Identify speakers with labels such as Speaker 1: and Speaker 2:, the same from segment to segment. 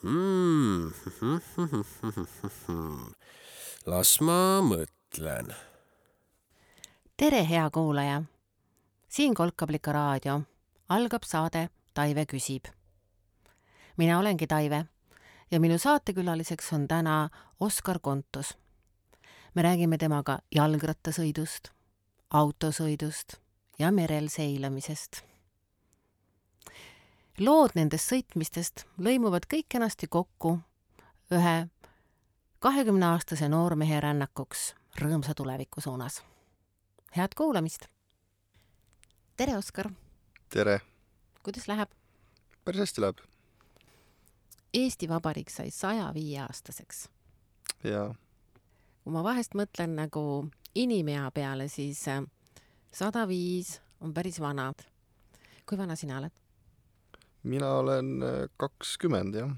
Speaker 1: Mm. Las ma mõtlen.
Speaker 2: Tere, hea kuulaja! Siin Kolkablika raadio. Algab saade Taive küsib. Mina olengi Taive ja minu saatekülaliseks on täna Oskar Kontus. Me räägime temaga jalgrattasõidust, autosõidust ja merel seilamisest. Lood nendest sõitmistest lõimuvad kõik kenasti kokku ühe 20-aastase noormehe rännakuks rõõmsa tuleviku suunas. Head kuulamist! Tere, Oskar!
Speaker 3: Tere!
Speaker 2: Kuidas läheb?
Speaker 3: Päris hästi läheb.
Speaker 2: Eesti Vabariik sai 105-aastaseks.
Speaker 3: Jaa.
Speaker 2: Kui ma vahest mõtlen nagu inimea peale, siis 105 on päris vana. Kui vana sina oled?
Speaker 3: Mina olen 20, jah.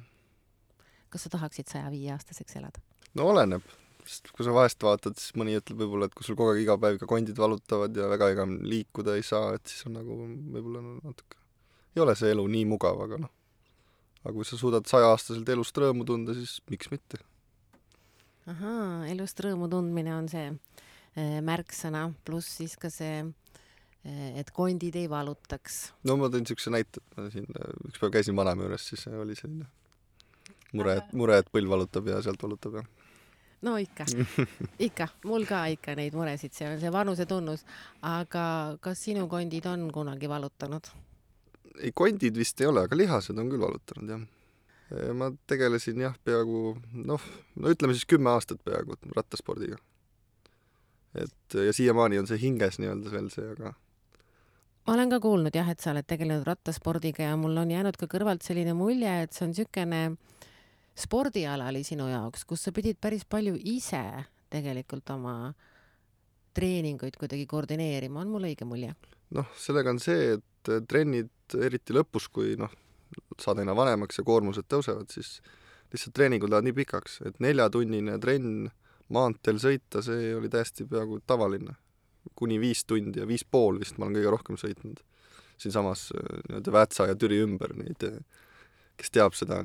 Speaker 2: Kas sa tahaksid 105-aastaseks elada?
Speaker 3: No oleneb. Sest kui sa vahest vaatad, siis mõni ütleb võib-olla, et kui sul kogu aeg iga päev ka kondid valutavad ja väga ega liikuda ei saa, et siis on nagu võib-olla natuke... Ei ole see elu nii mugav, aga noh. Aga kui sa suudad 100-aastaselt elust rõõmu tunda, siis miks mitte?
Speaker 2: Ahaa, elust rõõmu tundmine on see märksõna, pluss siis ka see, et kondid ei valutaks.
Speaker 3: No ma tõin niisuguse näite, et ma siin üks päev käisin vanaema juures, siis oli selline mure, et põll valutab ja sealt valutab ja...
Speaker 2: No ikka, mul ka ikka neid muresid, see on see vanuse tunnus, aga kas sinu kondid on kunagi valutanud?
Speaker 3: Ei, kondid vist ei ole, aga lihased on küll valutanud, jah. Ma tegelesin jah peaaegu, no ütleme siis 10 aastat peaaegu rattaspordiga. Ja siiamaani on see hinges nii-öelda veel see, aga...
Speaker 2: Ma olen ka kuulnud jah, et sa oled tegelenud rattaspordiga ja mul on jäänud ka kõrvalt selline mulje, et see on niisugune spordiala oli sinu jaoks, kus sa pidid päris palju ise tegelikult oma treeninguid kuidagi koordineerima. On mul õige mulje?
Speaker 3: Noh, sellega on see, et trennid eriti lõpus, kui saad aina vanemaks ja koormused tõusevad, siis lihtsalt treeningud lähevad nii pikaks, et 4-tunnine trenn maanteel sõita, see oli täiesti peaaegu tavaline. Kuni 5 tundi ja 5,5 vist ma olen kõige rohkem sõitnud. Siinsamas Väätsa ja Türi ümber neid, kes teab seda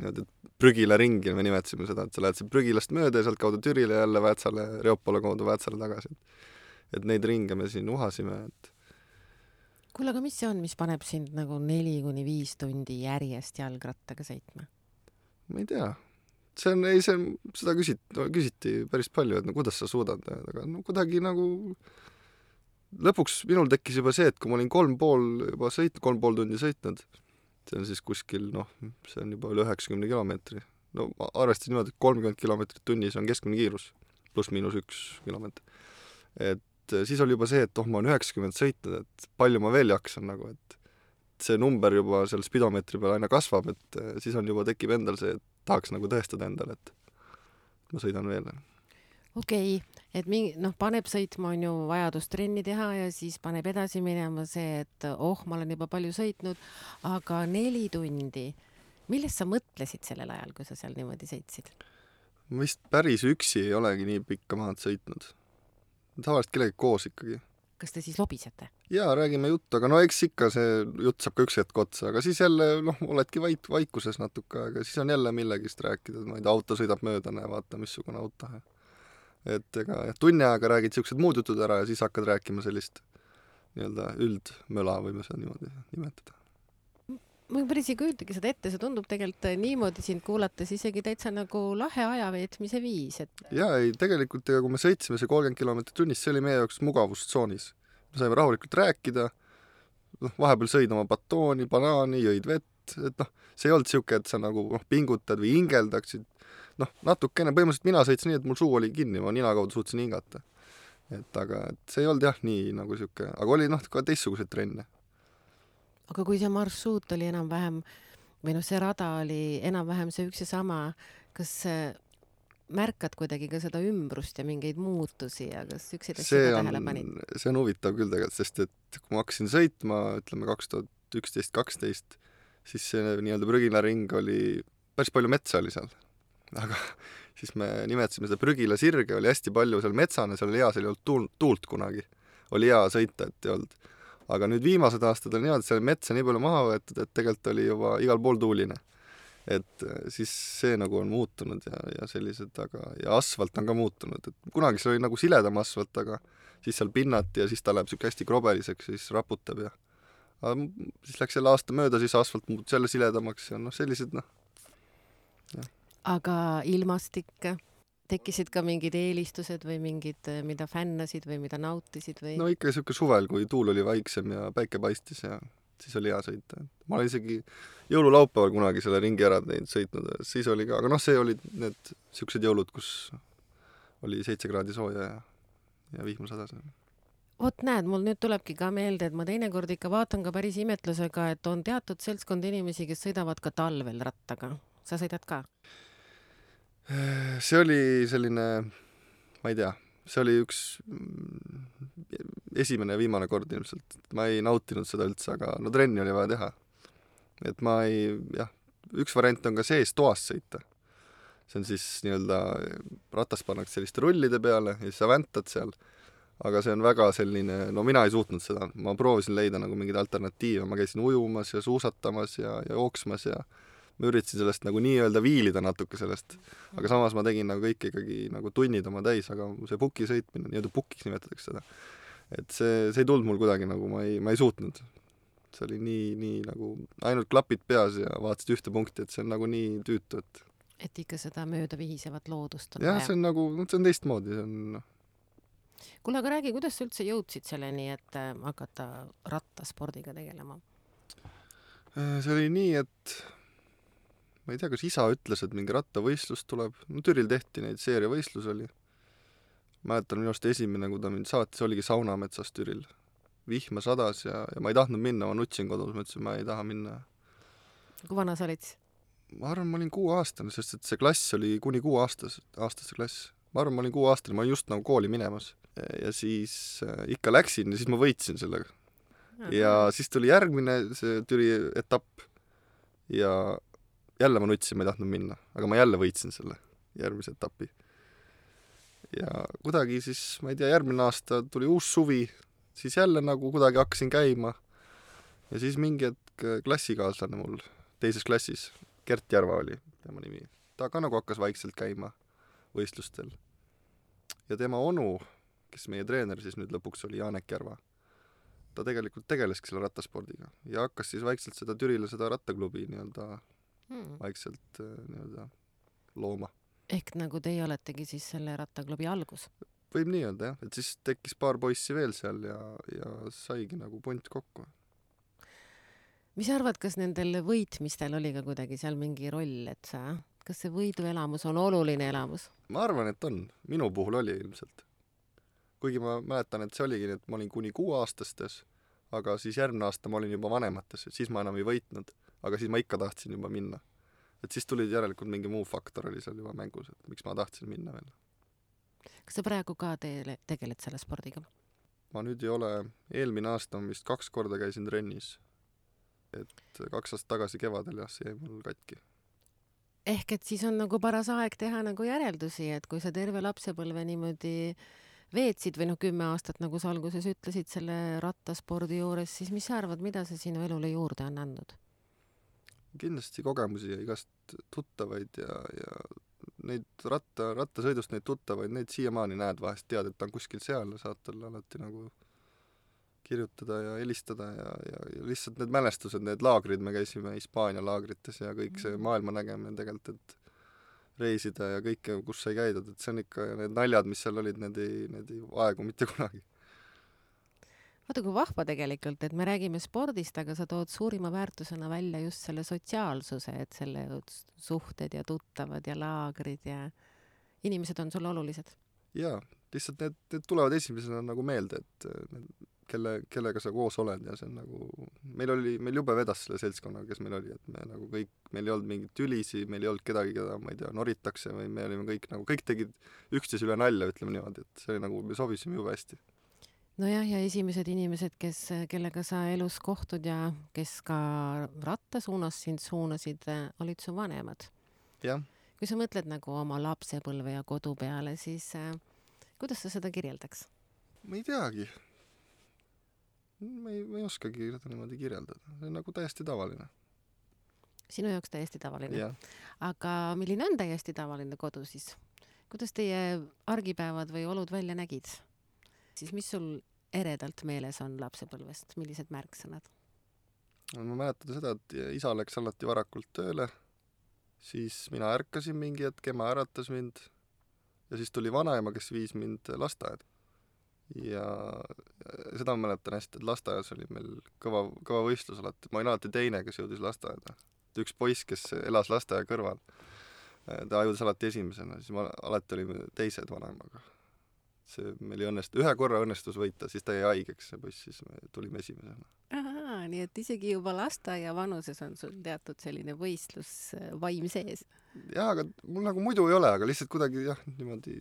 Speaker 3: prügila ringi, me nimetsime seda, et sa lähed prügilast mööda ja sealt kaudu Türile jälle Väätsale, Reopole kaudu Väätsale tagasi. Et neid ringe me siin uhasime, et
Speaker 2: kuule, aga mis see on, mis paneb sind nagu 4-5 tundi järjest jalgrattaga sõitma?
Speaker 3: Ma ei tea. Seda küsiti päris palju, et kuidas sa suudad, aga kuidagi nagu lõpuks minul tekkis juba see, et kui ma olin 3,5 tundi sõitnud, see on siis kuskil, see on juba üle 90 kilomeetri. No arvestasin niimoodi, et 30 kilomeetrit tunnis on keskmine kiirus, pluss-miinus 1 kilomeetri. Et siis oli juba see, et ma olen 90 sõitnud, et palju ma veel jaksan, et see number juba seal spidomeetri peal aina kasvab, et siis on juba tekib endal see, et tahaks nagu tõestada endale, et ma sõidan veel.
Speaker 2: Okei, et paneb sõitma on ju vajadus trenni teha ja siis paneb edasi minema see, et ma olen juba palju sõitnud, aga 4 tundi. Millest sa mõtlesid sellel ajal, kui sa seal niimoodi sõitsid?
Speaker 3: Ma vist päris üksi ei olegi nii pikka maad sõitnud. Tavaliselt kellegi koos ikkagi.
Speaker 2: Kas te siis lobisete?
Speaker 3: Jaa, räägime juttu, aga eks ikka see jutt saab ka üks hetk otsa, aga siis jälle, oledki vaikuses natuke, aga siis on jälle millegist rääkida, ma ei tea, auto sõidab mööda ja vaata, missugune auto. Et tunni aega räägid siuksed muud jutud ära ja siis hakkad rääkima sellist nii-öelda üldmöla, võime seda niimoodi nimetada.
Speaker 2: Ma päris ei kujutagi seda ette, see tundub tegelikult niimoodi sind kuulates isegi täitsa nagu lahe ajaveetmise viis.
Speaker 3: Jaa, ei, tegelikult kui me sõitsime see 30 kilomeetrit tunnis, see oli meie jaoks mugavustsoonis. Me saime rahulikult rääkida, vahepeal sõid oma batooni, banaani, jõid vett, et see ei olnud siuke, et sa nagu pingutad või hingeldaksid. Natukene, põhimõtteliselt mina sõitsin nii, et mul suu oli kinni, ma nina kaudu suutsin hingata. Aga see ei olnud jah nii nagu siuke, aga oli ka teistsuguseid trenne.
Speaker 2: Aga kui see marsruut oli enam-vähem, või see rada oli enam-vähem see üks ja sama, kas märkad kuidagi ka seda ümbrust ja mingeid muutusi ja kas ükseid asja tähele panid?
Speaker 3: See on huvitav küll tegelikult, sest et kui ma hakkasin sõitma, ütleme 2011-2012, siis see nii-öelda prügila ring oli, päris palju metsa oli seal. Aga siis me nimetasime seda prügila sirge, oli hästi palju seal metsane, seal oli hea, seal ei olnud tuult kunagi. Oli hea sõita, et ei olnud. Aga nüüd viimased aastad on niimoodi, et seal metsa nii palju maha võetud, et tegelikult oli juba igal pool tuuline. et siis see nagu on muutunud ja sellised, aga ja asfalt on ka muutunud, et kunagi see oli nagu siledam asfalt, aga siis seal pinnati ja siis ta läheb siuke hästi krobeliseks ja siis raputab ja aga siis läks jälle aasta mööda, siis asfalt muutus jälle siledamaks ja sellised
Speaker 2: aga ilmastik, tekkisid ka mingid eelistused või mingid, mida fännasid või mida nautisid või?
Speaker 3: no ikka siuke suvel, kui tuul oli vaiksem ja päike paistis ja siis oli hea sõita. Ma olen isegi jõululaupäeval kunagi selle ringi ära sõitnud, siis oli ka, aga see olid need siuksed jõulud, kus oli 7 kraadi sooja ja vihma sadas.
Speaker 2: Vot näed, mul nüüd tulebki ka meelde, et ma teinekord ikka vaatan ka päris imetlusega, et on teatud seltskond inimesi, kes sõidavad ka talvel rattaga. Sa sõidad ka?
Speaker 3: See oli selline, ma ei tea, see oli üks esimene ja viimane kord ilmselt. Ma ei nautinud seda üldse, aga no trenni oli vaja teha. Et ma ei, jah, üks variant on ka sees toas sõita. See on siis nii-öelda, ratas pannakse selliste rullide peale ja siis sa väntad seal. Aga see on väga selline, no mina ei suutnud seda. Ma proovisin leida nagu mingeid alternatiive. Ma käisin ujumas ja suusatamas ja jooksmas ja ma üritasin sellest nagu nii-öelda viilida natuke sellest. Aga samas ma tegin nagu kõik ikkagi nagu tunnid oma täis, aga see puki sõitmine, nii-öelda pukiks nimetatakse seda. Et see ei tulnud mul kuidagi nagu, ma ei suutnud. See oli nii nagu ainult klapid peas ja vaatasid ühte punkti, et see on nagu nii tüütu,
Speaker 2: et ikka seda mööda vihisevat loodust on
Speaker 3: jah, see on nagu, see on teistmoodi, see on
Speaker 2: Kuule, aga räägi, kuidas sa üldse jõudsid selleni, et hakata rattaspordiga tegelema?
Speaker 3: See oli nii, et ma ei tea, kas isa ütles, et mingi rattavõistlus tuleb. No Türil tehti neid seeriavõistlus oli. Mäletan minu arust esimene, kui ta mind saatis, oligi Saunametsas Türil. Vihma sadas ja ma ei tahtnud minna, ma nutsin kodus, ma ütlesin, ma ei taha minna.
Speaker 2: Kui vana sa olid?
Speaker 3: Ma arvan, ma olin 6-aastane, sest et see klass oli kuni 6-aastase klass. Ma arvan, ma olin 6-aastane, ma olin just nagu kooli minemas. Ja siis ikka läksin ja siis ma võitsin sellega. Ja siis tuli järgmine see Türi etapp ja jälle ma nutsin, ma ei tahtnud minna, aga ma jälle võitsin selle järgmise etapi. Ja kuidagi siis, ma ei tea, järgmine aasta tuli uus suvi, siis jälle nagu kuidagi hakkasin käima. Ja siis mingi hetk klassikaaslane mul teises klassis, Gert Järva oli tema nimi, ta ka nagu hakkas vaikselt käima võistlustel. Ja tema onu, kes meie treener siis nüüd lõpuks oli Janek Järva, ta tegelikult tegeleski selle rattaspordiga ja hakkas siis vaikselt seda Türile seda rattaklubi nii-öelda vaikselt nii-öelda looma.
Speaker 2: Ehk nagu teie oletegi siis selle rattaklubi algus?
Speaker 3: Võib nii öelda, jah. Et siis tekkis paar poissi veel seal ja saigi nagu punt kokku.
Speaker 2: Mis arvad, kas nendel võitmistel oli ka kuidagi seal mingi roll, et kas see võiduelamus on oluline elamus?
Speaker 3: Ma arvan, et on. Minu puhul oli ilmselt. Kuigi ma mäletan, et see oligi, et ma olin kuni 6-aastastes, aga siis järgmine aasta ma olin juba vanemates, et siis ma enam ei võitnud, aga siis ma ikka tahtsin juba minna. Et siis tuli järelikult mingi muu faktor oli seal juba mängus, et miks ma tahtsin minna veel.
Speaker 2: Kas sa praegu ka tegeled selle spordiga?
Speaker 3: Ma nüüd ei ole, eelmine aasta vist 2 korda käisin trennis. Et 2 aastat tagasi kevadel jah, see jäi mul katki.
Speaker 2: Ehk et siis on nagu paras aeg teha nagu järeldusi, et kui sa terve lapsepõlve niimoodi veetsid või 10 aastat, nagu sa alguses ütlesid selle rattaspordi juures, siis mis sa arvad, mida see sinu elule juurde on andnud?
Speaker 3: Kindlasti kogemusi ja igast tuttavaid ja neid rattasõidust neid tuttavaid, neid siiamaani näed vahest, tead, et ta on kuskil seal ja saad talle alati nagu kirjutada ja helistada ja lihtsalt need mälestused, need laagrid, me käisime Hispaania laagrites ja kõik see maailma nägemine tegelikult, et reisida ja kõike, kus sai käidud, et see on ikka, need naljad, mis seal olid, need ei aegu mitte kunagi.
Speaker 2: Vaata kui vahva tegelikult, et me räägime spordist, aga sa tood suurima väärtusena välja just selle sotsiaalsuse, et selle suhted ja tuttavad ja laagrid ja inimesed on sulle olulised.
Speaker 3: Jaa, lihtsalt need tulevad esimesena nagu meelde, et kellega sa koos oled ja see on nagu, meil jube vedas selle seltskonnaga, kes meil oli, et me nagu kõik, meil ei olnud mingit tülisi, meil ei olnud kedagi, keda, ma ei tea, noritakse või me olime kõik tegid üksteise üle nalja, ütleme niimoodi, et see oli nagu, me sobisime jube hästi.
Speaker 2: Nojah, ja esimesed inimesed, kellega sa elus kohtud ja kes ka ratta suunas sind suunasid, olid su vanemad.
Speaker 3: Jah.
Speaker 2: Kui sa mõtled nagu oma lapsepõlve ja kodu peale, siis kuidas sa seda kirjeldaks?
Speaker 3: Ma ei teagi. Ma ei oskagi seda niimoodi kirjeldada. See on nagu täiesti tavaline.
Speaker 2: Sinu jaoks täiesti tavaline.
Speaker 3: jah.
Speaker 2: Aga milline on täiesti tavaline kodu siis? Kuidas teie argipäevad või olud välja nägid? Siis mis sul eredalt meeles on lapsepõlvest? Millised märksõnad?
Speaker 3: Ma mäletan seda, et isa läks alati varakult tööle, siis mina ärkasin mingi hetk, ema äratas mind ja siis tuli vanaema, kes viis mind lasteaeda. Ja seda ma mäletan hästi, et lasteaias oli meil kõva võistlus alati. Ma olin alati teine, kes jõudis lasteaeda. Üks poiss, kes elas lasteaia kõrval, ta jõudis alati esimesena, siis alati olime teised vanaemaga. Meil ei õnnestu, ühe korra õnnestus võita, siis ta jäi haigeks, see poiss, siis me tulime esimesena.
Speaker 2: Ahaa, nii et isegi juba lasteaia vanuses on sul teatud selline võistlusvaim sees.
Speaker 3: Jah, aga mul nagu muidu ei ole, aga lihtsalt kuidagi jah, niimoodi,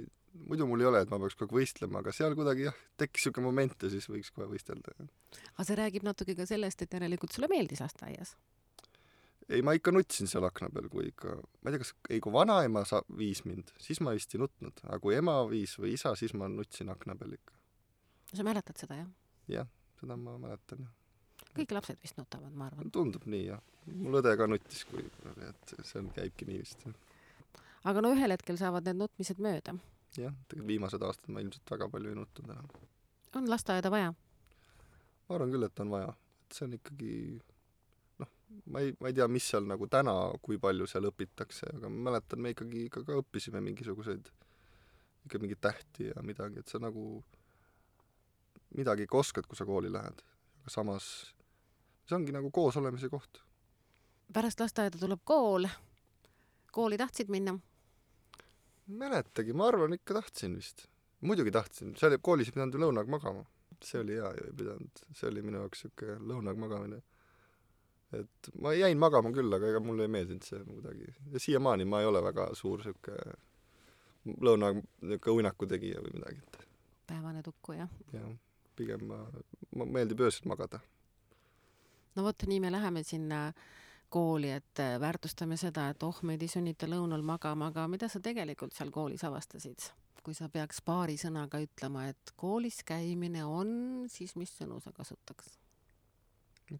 Speaker 3: muidu mul ei ole, et ma peaks kogu aeg võistlema, aga seal kuidagi jah, tekkis siuke moment ja siis võiks kohe võistelda.
Speaker 2: Aga see räägib natuke ka sellest, et järelikult sulle meeldis lasteaias.
Speaker 3: Ei, ma ikka nutsin seal akna peal, kui ikka, ma ei tea, kui vanaema viis mind, siis ma vist ei nutnud, aga kui ema viis või isa, siis ma nutsin akna peal ikka.
Speaker 2: Sa mäletad seda, jah?
Speaker 3: Jah, seda ma mäletan, jah.
Speaker 2: Kõik lapsed vist nutavad, ma arvan.
Speaker 3: Tundub nii, jah. Mul õde ka nutis, et see käibki nii vist.
Speaker 2: Aga no ühel hetkel saavad need nutmised mööda.
Speaker 3: Jah, tegelikult viimased aastad ma ilmselt väga palju ei nutnud enam.
Speaker 2: On lasteaeda vaja?
Speaker 3: Ma arvan küll, et on vaja. Et see on ikkagi, ma ei tea, mis seal nagu täna, kui palju seal õpitakse, aga ma mäletan, me ikkagi ka õppisime mingisuguseid, ikka mingit tähti ja midagi, et sa nagu midagi ka oskad, kui sa kooli lähed. Aga samas see ongi nagu koos olemise koht.
Speaker 2: Pärast lasteaeda tuleb kool. Kooli tahtsid minna?
Speaker 3: Mäletagi, ma arvan, ikka tahtsin vist. Muidugi tahtsin. See oli, koolis ei pidanud ju lõunaga magama. See oli hea ju ei pidanud. See oli minu jaoks siuke lõunaga magamine. Et ma jäin magama küll, aga ega mulle ei meeldinud see kuidagi. Ja siiamaani ma ei ole väga suur siuke lõunaga uinaku tegija või midagi.
Speaker 2: Päevane tukku, jah?
Speaker 3: Jah, pigem ma meeldib öösel magada.
Speaker 2: No vot, nii me läheme sinna kooli, et väärtustame seda, et meid ei sunnita lõunal magama, aga mida sa tegelikult seal koolis avastasid? Kui sa peaks paari sõnaga ütlema, et koolis käimine on, siis mis sõnu sa kasutaks?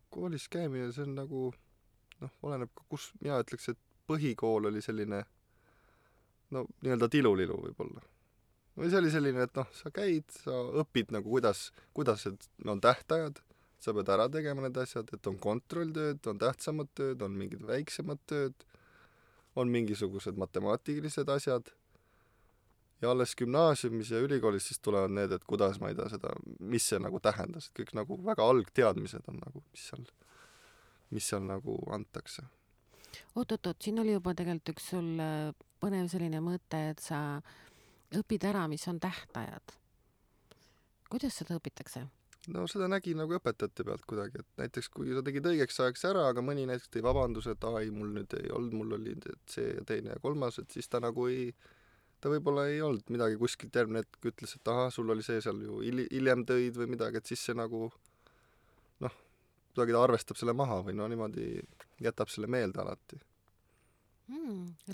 Speaker 3: Koolis käimine, see on nagu, oleneb ka kus, mina ütleks, et põhikool oli selline, nii-öelda tilulilu võib-olla. Või see oli selline, et sa käid, sa õpid nagu kuidas on tähtajad, sa pead ära tegema need asjad, et on kontrolltööd, on tähtsamad tööd, on mingid väiksemad tööd, on mingisugused matemaatilised asjad ja alles gümnaasiumis ja ülikoolis siis tulevad need, et kuidas ma ei tea seda, mis see nagu tähendas, et kõik nagu väga algteadmised on nagu, mis seal nagu antakse.
Speaker 2: Oot, siin oli juba tegelikult üks sul põnev selline mõte, et sa õpid ära, mis on tähtajad. Kuidas seda õpitakse?
Speaker 3: No seda nägi nagu õpetajate pealt kuidagi, et näiteks kui sa tegid õigeks ajaks ära, aga mõni näiteks tõi vabanduse, et mul nüüd ei olnud, mul oli see ja teine ja kolmas, et siis ta nagu ta võib-olla ei olnud midagi kuskilt järgmine hetk ütles, et sul oli see seal ju hiljem tõid või midagi, et siis see nagu kuidagi ta arvestab selle maha või niimoodi jätab selle meelde alati.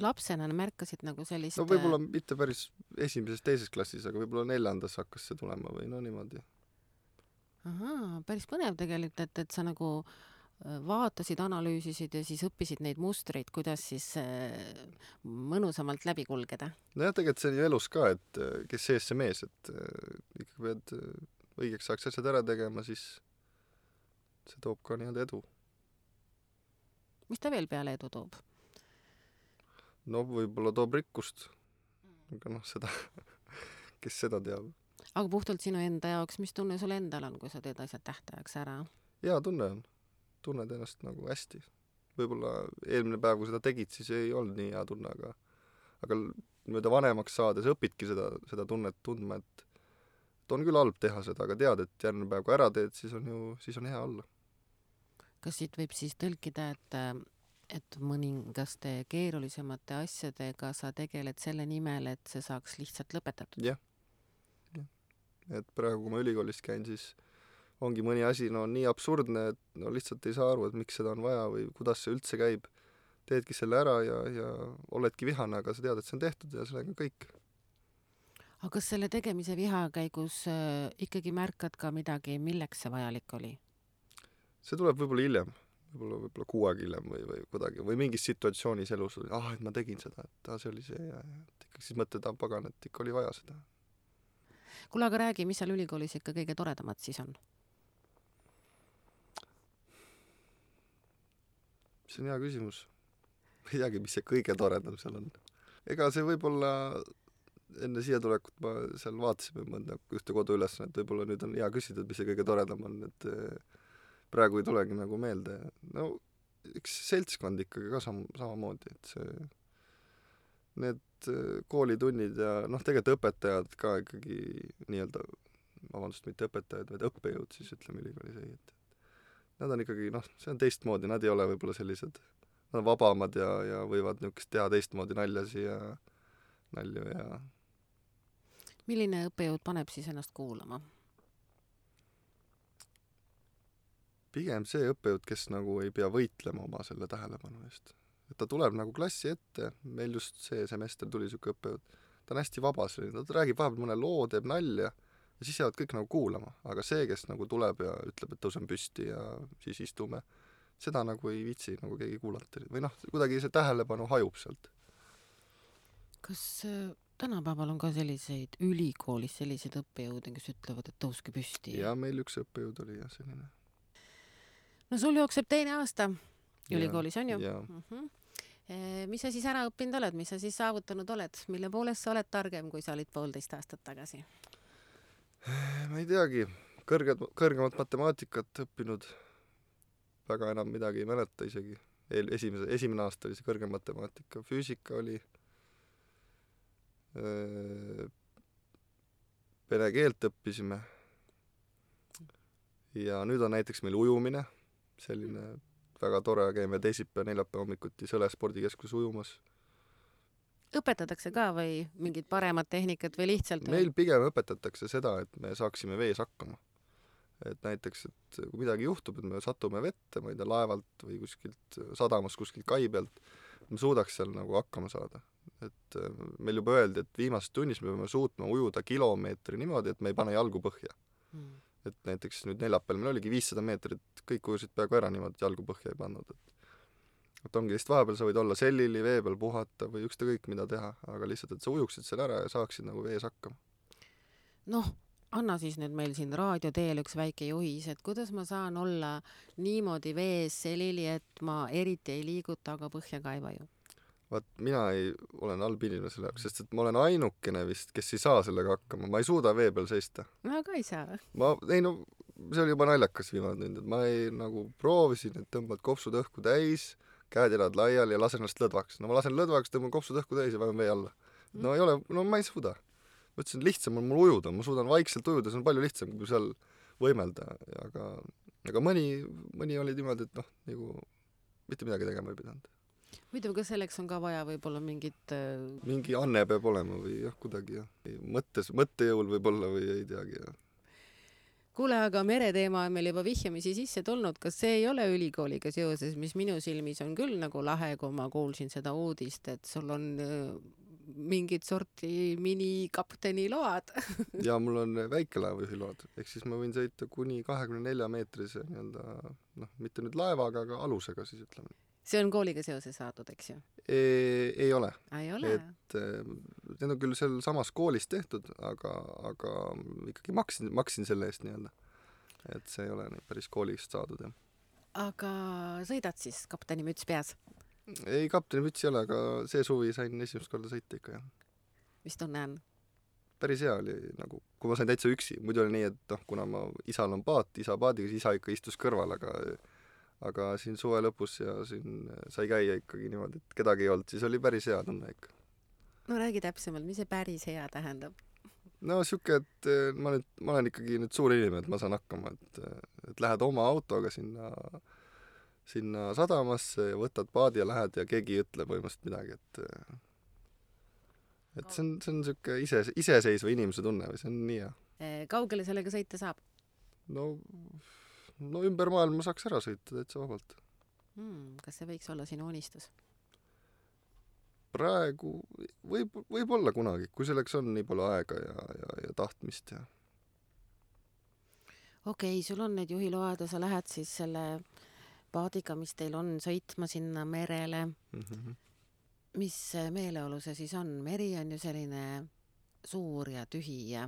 Speaker 2: Lapsena märkasid nagu sellist...
Speaker 3: No võib-olla mitte päris esimeses, teises klassis, aga võib-olla 4. hakkas see tulema või niimoodi.
Speaker 2: Ahaa, päris põnev tegelikult, et sa nagu vaatasid, analüüsisid ja siis õppisid neid mustreid, kuidas siis mõnusamalt läbi kulgeda.
Speaker 3: No jah, tegelikult see on ju elus ka, et kes sees see mees, et ikka pead õigeks saaks asjad ära tegema, siis see toob ka nii-öelda edu.
Speaker 2: Mis ta veel peale edu toob?
Speaker 3: No võib-olla toob rikkust, aga seda, kes seda teab.
Speaker 2: Aga puhtalt sinu enda jaoks, mis tunne sul endal on, kui sa teed asjad tähtajaks ära?
Speaker 3: Jaa, tunne on. Tunned ennast nagu hästi. Võib-olla eelmine päev, kui seda tegid, siis ei olnud nii hea tunne, aga niimoodi vanemaks saades õpidki seda tunnet tundma, et on küll halb teha seda, aga tead, et järgmine päev, kui ära teed, siis on hea olla.
Speaker 2: Kas siit võib siis tõlkida, et mõningaste keerulisemate asjadega sa tegeled selle nimel, et see saaks lihtsalt lõpetatud?
Speaker 3: Jah. Et praegu, kui ma ülikoolis käin, siis ongi mõni asi nii absurdne, et lihtsalt ei saa aru, et miks seda on vaja või kuidas see üldse käib. Teedki selle ära ja oledki vihane, aga sa tead, et see on tehtud ja sellega kõik.
Speaker 2: Aga kas selle tegemise viha käigus ikkagi märkad ka midagi, milleks see vajalik oli?
Speaker 3: See tuleb võib-olla hiljem. võib-olla kuu aega hiljem või kuidagi, või mingis situatsioonis elus, et ma tegin seda, et see oli see ja et ikka siis mõtled, pagan, et ikka oli vaja seda.
Speaker 2: Kuule, aga räägi, mis seal ülikoolis ikka kõige toredamad siis on?
Speaker 3: See on hea küsimus. Ma ei teagi, mis see kõige toredam seal on. Ega see võib-olla enne siia tulekut ma seal vaatasime mõnda ühte kodu ülesannet, võib-olla nüüd on hea küsida, et mis see kõige toredam on, et praegu ei tulegi nagu meelde. No üks seltskond ikkagi ka samamoodi, et need koolitunnid ja tegelikult õpetajad ka ikkagi nii-öelda, vabandust, mitte õpetajad, vaid õppejõud siis ütleme ülikoolis ei, et nad on ikkagi, see on teistmoodi, nad ei ole võib-olla sellised, nad on vabamad ja võivad niisugust teha teistmoodi nalju ja
Speaker 2: Milline õppejõud paneb siis ennast kuulama?
Speaker 3: Pigem see õppejõud, kes nagu ei pea võitlema oma selle tähelepanu eest. Et ta tuleb nagu klassi ette, meil just see semester tuli siuke õppejõud, ta on hästi vaba selline, ta räägib vahepeal mõne loo, teeb nalja ja siis jäävad kõik nagu kuulama, aga see, kes nagu tuleb ja ütleb, et tõusen püsti ja siis istume, seda nagu ei viitsi nagu keegi kuulata või kuidagi see tähelepanu hajub sealt.
Speaker 2: Kas tänapäeval on ka selliseid ülikoolis selliseid õppejõude, kes ütlevad, et tõuske püsti?
Speaker 3: Ja meil üks õppejõud oli jah selline.
Speaker 2: No sul jookseb 2. aasta ülikoolis, on ju?
Speaker 3: Ja.
Speaker 2: Mis sa siis ära õppinud oled, mis sa siis saavutanud oled, mille poolest sa oled targem, kui sa olid 1,5 aastat tagasi?
Speaker 3: Ma ei teagi, kõrgemat matemaatikat õppinud, väga enam midagi ei mäleta isegi. Esimene aasta oli see kõrgem matemaatika, füüsika oli, vene keelt õppisime ja nüüd on näiteks meil ujumine, selline väga tore, käime teisipäev, neljapäev hommikuti Sõle spordikeskus ujumas.
Speaker 2: Õpetatakse ka või mingid paremad tehnikat või lihtsalt?
Speaker 3: Meil pigem õpetatakse seda, et me saaksime vees hakkama. Et näiteks, et kui midagi juhtub, et me satume vette, ma ei tea, laevalt või kuskilt sadamas, kuskilt kai pealt, me suudaks seal nagu hakkama saada. Et meil juba öeldi, et viimases tunnis me peame suutma ujuda kilomeetri niimoodi, et me ei pane jalgu põhja. Et näiteks nüüd neljapäeval meil oligi 500 meetrit, kõik ujusid peaaegu ära niimoodi, et jalgu põhja ei pannud. Et ongi lihtsalt vahepeal sa võid olla sellili, vee peal puhata või ükskõik mida teha, aga lihtsalt, et sa ujuksid seal ära ja saaksid nagu vees hakkama.
Speaker 2: Anna siis nüüd meil siin raadio teel üks väike juhis, et kuidas ma saan olla niimoodi vees selili, et ma eriti ei liiguta, aga põhja ka ei vaju?
Speaker 3: Vaat mina olen halb inimene selle jaoks, sest et ma olen ainukene vist, kes ei saa sellega hakkama. Ma ei suuda vee peal seista.
Speaker 2: Ma ka ei saa.
Speaker 3: See oli juba naljakas viimane tund, et ma nagu proovisin, et tõmbad kopsud õhku täis, käed elad laiali ja lasen ennast lõdvaks. Ma lasen lõdvaks, tõmban kopsud õhku täis ja vajun vee alla. Ma ei suuda. Ma ütlesin, lihtsam on mul ujuda, ma suudan vaikselt ujuda, see on palju lihtsam, kui seal võimelda. Aga mõni oli niimoodi, et nagu mitte midagi tegema ei pidanud.
Speaker 2: Muidu, kas selleks on ka vaja võib-olla mingit...
Speaker 3: Mingi anne peab olema või kuidagi mõttejõul võib-olla või ei teagi.
Speaker 2: Kuule, aga mereteema on meil juba vihjamisi sisse tulnud. Kas see ei ole ülikooliga seoses, mis minu silmis on küll nagu lahe, kui ma kuulsin seda uudist, et sul on mingid sorti minikapteni load?
Speaker 3: Ja mul on väikelaevajuhi load, ehk siis ma võin sõita kuni 24 meetrise mitte nüüd laevaga, aga alusega siis ütleme.
Speaker 2: See on kooliga seoses saadud, eks ju?
Speaker 3: Ei ole.
Speaker 2: Ei ole?
Speaker 3: Et need on küll seal samas koolis tehtud, aga ikkagi maksin selle eest nii-öelda. Et see ei ole päris koolist saadud, jah.
Speaker 2: Aga sõidad siis kapteni müts peas?
Speaker 3: Ei, kapteni müts ei ole, aga see suvi sain esimest korda sõita ikka, jah.
Speaker 2: Mis tunne on?
Speaker 3: Päris hea oli, nagu, kui ma sain täitsa üksi. Muidu oli nii, et kuna isal on paat, isa paadiga, siis isa ikka istus kõrval, aga siin suve lõpus ja siin sai käia ikkagi niimoodi, et kedagi ei olnud, siis oli päris hea tunne ikka.
Speaker 2: No räägi täpsemalt, mis see päris hea tähendab?
Speaker 3: Siuke, et ma olen ikkagi nüüd suur inimene, et ma saan hakkama, et lähed oma autoga sinna sadamasse ja võtad paadi ja lähed ja keegi ei ütle põhimõtteliselt midagi, et see on siuke iseseisva inimese tunne või see on nii hea.
Speaker 2: Kaugele sellega sõita saab?
Speaker 3: No ümber maailma saaks ära sõita täitsa vabalt.
Speaker 2: Kas see võiks olla sinu unistus?
Speaker 3: Praegu võib olla kunagi, kui selleks on nii palju aega ja tahtmist.
Speaker 2: Okei, sul on need juhiload ja sa lähed siis selle paadiga, mis teil on, sõitma sinna merele. Mis meeleolu see siis on? Meri on ju selline suur ja tühi ja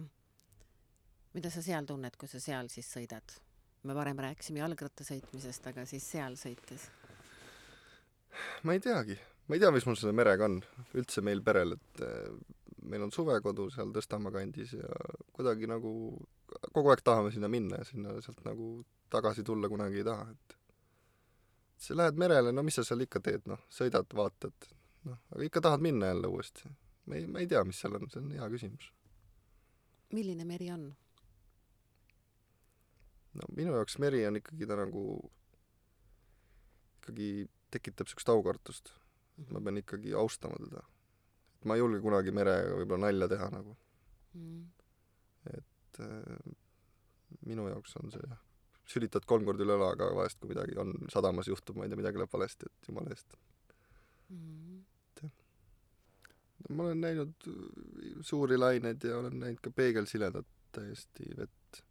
Speaker 2: mida sa seal tunned, kui sa seal siis sõidad? Me varem rääkisime jalgratta sõitmisest, aga siis seal sõites.
Speaker 3: Ma ei teagi. Ma ei tea, mis mul selle merega on. Üldse meil perel, et meil on suvekodu seal Tõstamaa kandis ja kuidagi nagu kogu aeg tahame sinna minna ja sinna sealt nagu tagasi tulla kunagi ei taha. Et sa lähed merele, no mis sa seal ikka teed, noh, sõidad, vaatad, noh, aga ikka tahad minna jälle uuesti. Ma ei tea, mis seal on, see on hea küsimus.
Speaker 2: Milline meri on?
Speaker 3: No minu jaoks meri on ikkagi ta nagu ikkagi tekitab sükst aukartust. Ma pean ikkagi austama teda. Ma ei julge kunagi merega võib-olla nalja teha nagu. Et minu jaoks on see sülitad 3 korda üle õla, aga vahest kui midagi on sadamas juhtub, ma ei tea, midagi läheb valesti, et jumala eest. Ma olen näinud suuri laineid ja olen näinud ka peegelsiledat täiesti vett.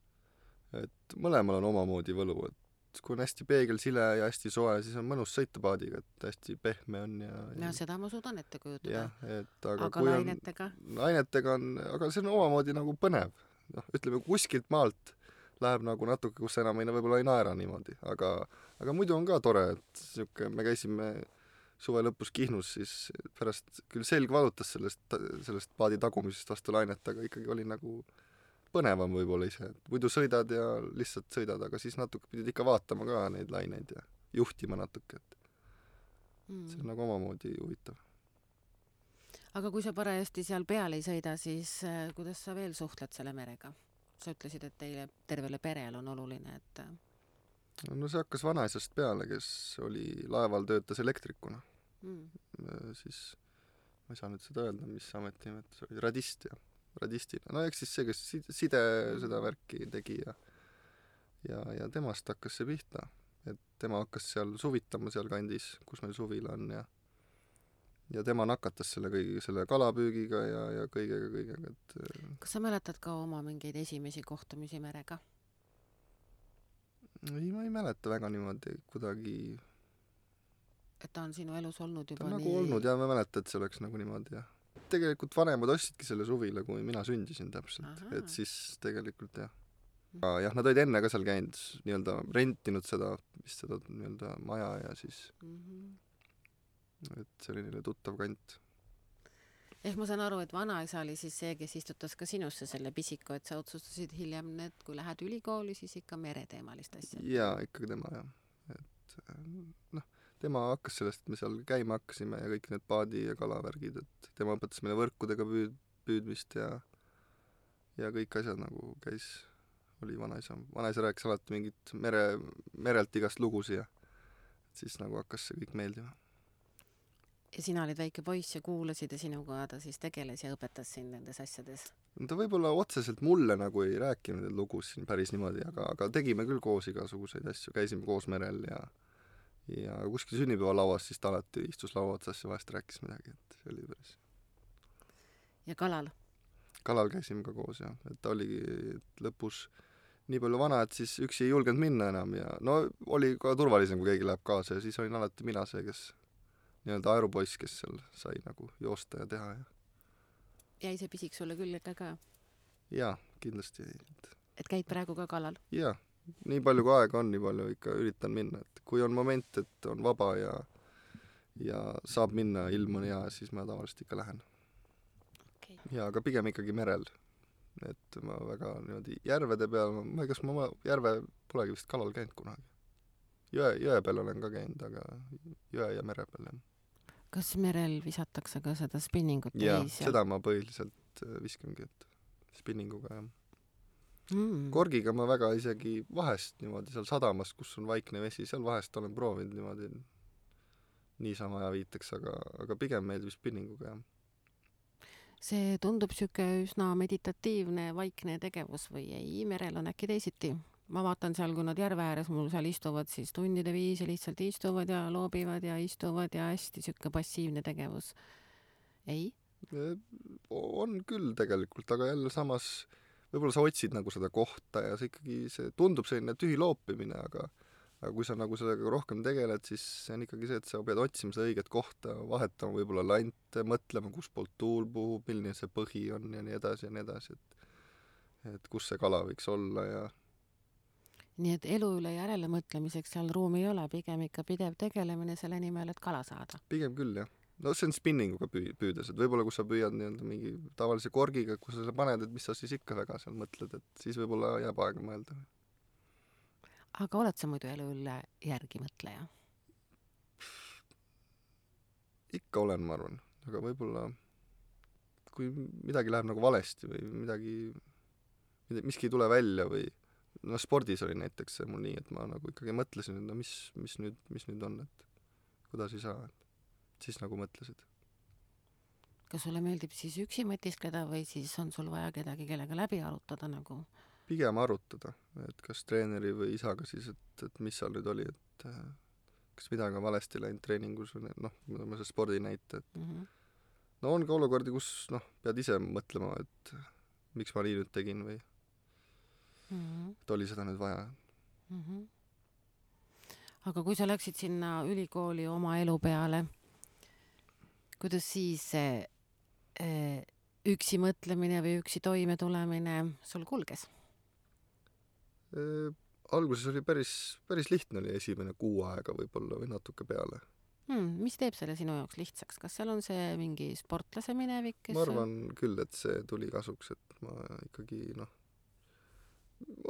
Speaker 3: Et mõlemal on omamoodi võlu, et kui on hästi peegelsile ja hästi soe, siis on mõnus sõita paadiga, et hästi pehme on ja
Speaker 2: seda ma suudan ette kujutada.
Speaker 3: Aga
Speaker 2: kui lainetega?
Speaker 3: Lainetega on, aga see on omamoodi nagu põnev. Noh, ütleme, kuskilt maalt läheb nagu natuke, kus enam võib-olla ei naera niimoodi, aga muidu on ka tore, et me käisime suve lõpus Kihnus, siis pärast küll selg valutas sellest paadi tagumisest vastu lainet, aga ikkagi oli nagu põnevam võib-olla ise, et muidu sõidad ja lihtsalt sõidad, aga siis natuke pidid ikka vaatama ka neid laineid ja juhtima natuke, et see on nagu omamoodi huvitav.
Speaker 2: Aga kui sa parajasti seal peal ei sõida, siis kuidas sa veel suhtled selle merega? Sa ütlesid, et teile tervele perel on oluline, et...
Speaker 3: No see hakkas vanaisast peale, kes oli laeval töötas elektrikuna. Siis, ma ei saa nüüd seda öelda, mis ametimetus oli, radist ja radistina. No eks siis see, kes side seda värki tegi ja temast hakkas see pihta. Et tema hakkas seal suvitama seal kandis, kus meil suvila on ja tema nakatas selle kalapüügiga ja kõigega. Et...
Speaker 2: Kas sa mäletad ka oma mingeid esimesi kohtumisi merega?
Speaker 3: Ei, ma ei mäleta väga niimoodi kuidagi...
Speaker 2: Et ta on sinu elus olnud juba
Speaker 3: ta on nagu olnud ja ma mäleta, et see oleks nagu niimoodi ja tegelikult vanemad ostsidki selle suvila, kui mina sündisin täpselt. Aha. Et siis tegelikult jah. Jah, nad olid enne ka seal käinud, nii-öelda rentinud seda nii-öelda maja ja siis et see oli neile tuttav kant.
Speaker 2: Ehk ma saan aru, et vanaisa oli siis see, kes istutas ka sinusse selle pisiku, et sa otsustasid hiljem, et kui lähed ülikooli, siis ikka mereteemalist asja.
Speaker 3: Jaa, ikkagi tema jah. Et noh, tema hakkas sellest, et me seal käima hakkasime ja kõik need paadi ja kalavärgid, et tema õpetas meile võrkudega püüdmist ja kõik asjad nagu käis, oli vanaisa. Vanaisa rääkis alati mingit merelt igast lugusi ja siis nagu hakkas see kõik meeldima.
Speaker 2: Ja sina olid väike poiss ja kuulasid ja sinuga ta siis tegeles ja õpetas sind nendes asjades?
Speaker 3: No ta võib-olla otseselt mulle nagu ei rääkinud need lugus siin päris niimoodi, aga tegime küll koos igasuguseid asju, käisime koos merel ja kuskil sünnipäevalauas siis ta alati istus laua otsas ja vahest rääkis midagi, et see oli päris.
Speaker 2: Ja kalal?
Speaker 3: Kalal käisime ka koos, jah. Et ta oligi lõpus nii palju vana, et siis üksi ei julgenud minna enam ja no oli ka turvalisem, kui keegi läheb kaasa ja siis olin alati mina see, kes nii-öelda aerupoiss, kes seal sai nagu joosta ja teha.
Speaker 2: Jäi see pisik sulle külge ka?
Speaker 3: Jaa, kindlasti.
Speaker 2: Et käid praegu ka kalal?
Speaker 3: Jaa, nii palju kui aega on, nii palju ikka üritan minna. Et kui on moment, et on vaba ja saab minna, ilm on hea, siis ma tavaliselt ikka lähen. Okay. Ja aga pigem ikkagi merel. Et ma väga niimoodi järvede peal, ma ei kas ma järve polegi vist kalal käinud kunagi. Jõe peal olen ka käinud, aga jõe ja mere peal, jah.
Speaker 2: Kas merel visatakse ka seda spinningut?
Speaker 3: Jaa, seda ma põhiliselt viskangi, et spinninguga, jah. Korgiga ma väga isegi vahest niimoodi seal sadamas, kus on vaikne vesi, seal vahest olen proovinud niimoodi niisama ja viiteks, aga pigem meeldib spinninguga, jah.
Speaker 2: See tundub siuke üsna meditatiivne, vaikne tegevus või ei? Merel on äkki teisiti? Ma vaatan seal, kui nad järve ääres mul seal istuvad, siis tundide viisi lihtsalt istuvad ja loobivad ja istuvad ja hästi siuke passiivne tegevus. Ei?
Speaker 3: On küll tegelikult, aga jälle samas võib-olla sa otsid nagu seda kohta ja see ikkagi see tundub selline tühi loopimine, aga kui sa nagu sellega rohkem tegeled, siis see on ikkagi see, et sa pead otsima seda õiget kohta, vahetama võib-olla lante, mõtlema, kus poolt tuul puhub, milline see põhi on ja nii edasi, et kus see kala võiks olla ja
Speaker 2: nii et elu üle järele mõtlemiseks seal ruumi ei ole, pigem ikka pidev tegelemine selle nimel, et kala saada.
Speaker 3: pigem küll, jah. No see on spinninguga püüdes, et võib-olla kui sa püüad nii-öelda mingi tavalise korgiga, kui sa selle paned, et mis sa siis ikka väga seal mõtled, et siis võib-olla jääb aega mõelda.
Speaker 2: Aga oled sa muidu elu üle järgi mõtleja?
Speaker 3: Ikka olen, ma arvan, aga võib-olla kui midagi läheb nagu valesti või miski ei tule välja või no spordis oli näiteks see mul nii, et ma nagu ikkagi mõtlesin, et no mis nüüd on, et kuidas ei saa, et siis nagu mõtlesid.
Speaker 2: Kas sulle meeldib siis üksi mõtiskleda või siis on sul vaja kedagi, kellega läbi arutada nagu?
Speaker 3: Pigem arutada, et kas treeneri või isaga siis, et mis seal nüüd oli, et kas midagi on valesti läinud treeningus või noh, ma see spordi näite, et no on ka olukordi, kus noh, pead ise mõtlema, et miks ma nii nüüd tegin või et oli seda nüüd vaja.
Speaker 2: Aga kui sa läksid sinna ülikooli oma elu peale, kuidas siis üksi mõtlemine või üksi toime tulemine sul kulges?
Speaker 3: Alguses oli päris lihtne, oli esimene kuu aega võib-olla või natuke peale.
Speaker 2: Mis teeb selle sinu jaoks lihtsaks? Kas seal on see mingi sportlase minevik?
Speaker 3: Ma arvan küll, et see tuli kasuks, et ma ikkagi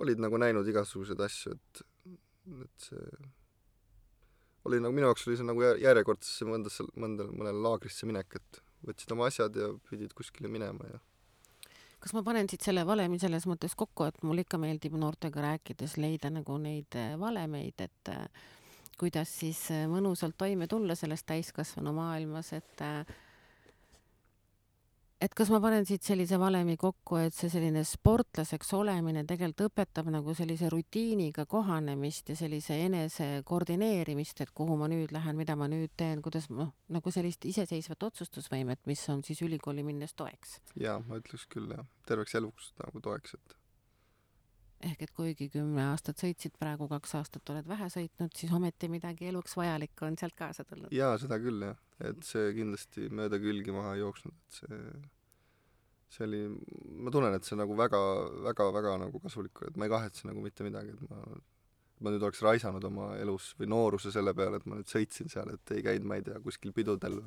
Speaker 3: olid nagu näinud igasuguseid asju, et see oli nagu, minu jaoks oli see nagu järjekordsesse mõnele laagrisse minek, et võtsid oma asjad ja pidid kuskile minema ja
Speaker 2: kas ma panen siit selle valemi selles mõttes kokku, et mul ikka meeldib noortega rääkides leida nagu neid valemeid, et kuidas siis mõnusalt toime tulla selles täiskasvanu maailmas, et kas ma panen siit sellise valemi kokku, et see selline sportlaseks olemine tegelikult õpetab nagu sellise rutiiniga kohanemist ja sellise enese koordineerimist, et kuhu ma nüüd lähen, mida ma nüüd teen, kuidas nagu sellist iseseisvat otsustusvõimet, mis on siis ülikooli minnes toeks.
Speaker 3: Jaa, ma ütleks küll, jah. Terveks eluks nagu toeks, et
Speaker 2: ehk et kuigi 10 aastat sõitsid, praegu 2 aastat oled vähe sõitnud, siis ometi midagi eluks vajalikku on sealt kaasa tulnud.
Speaker 3: Jaa, seda küll, jah. Et see kindlasti mööda külgi maha jooksnud, et see oli, ma tunnen, et see nagu väga nagu kasulik, et ma ei kahetse nagu mitte midagi, et ma nüüd oleks raisanud oma elus või nooruse selle peale, et ma nüüd sõitsin seal, et ei käinud, ma ei tea, kuskil pidudel,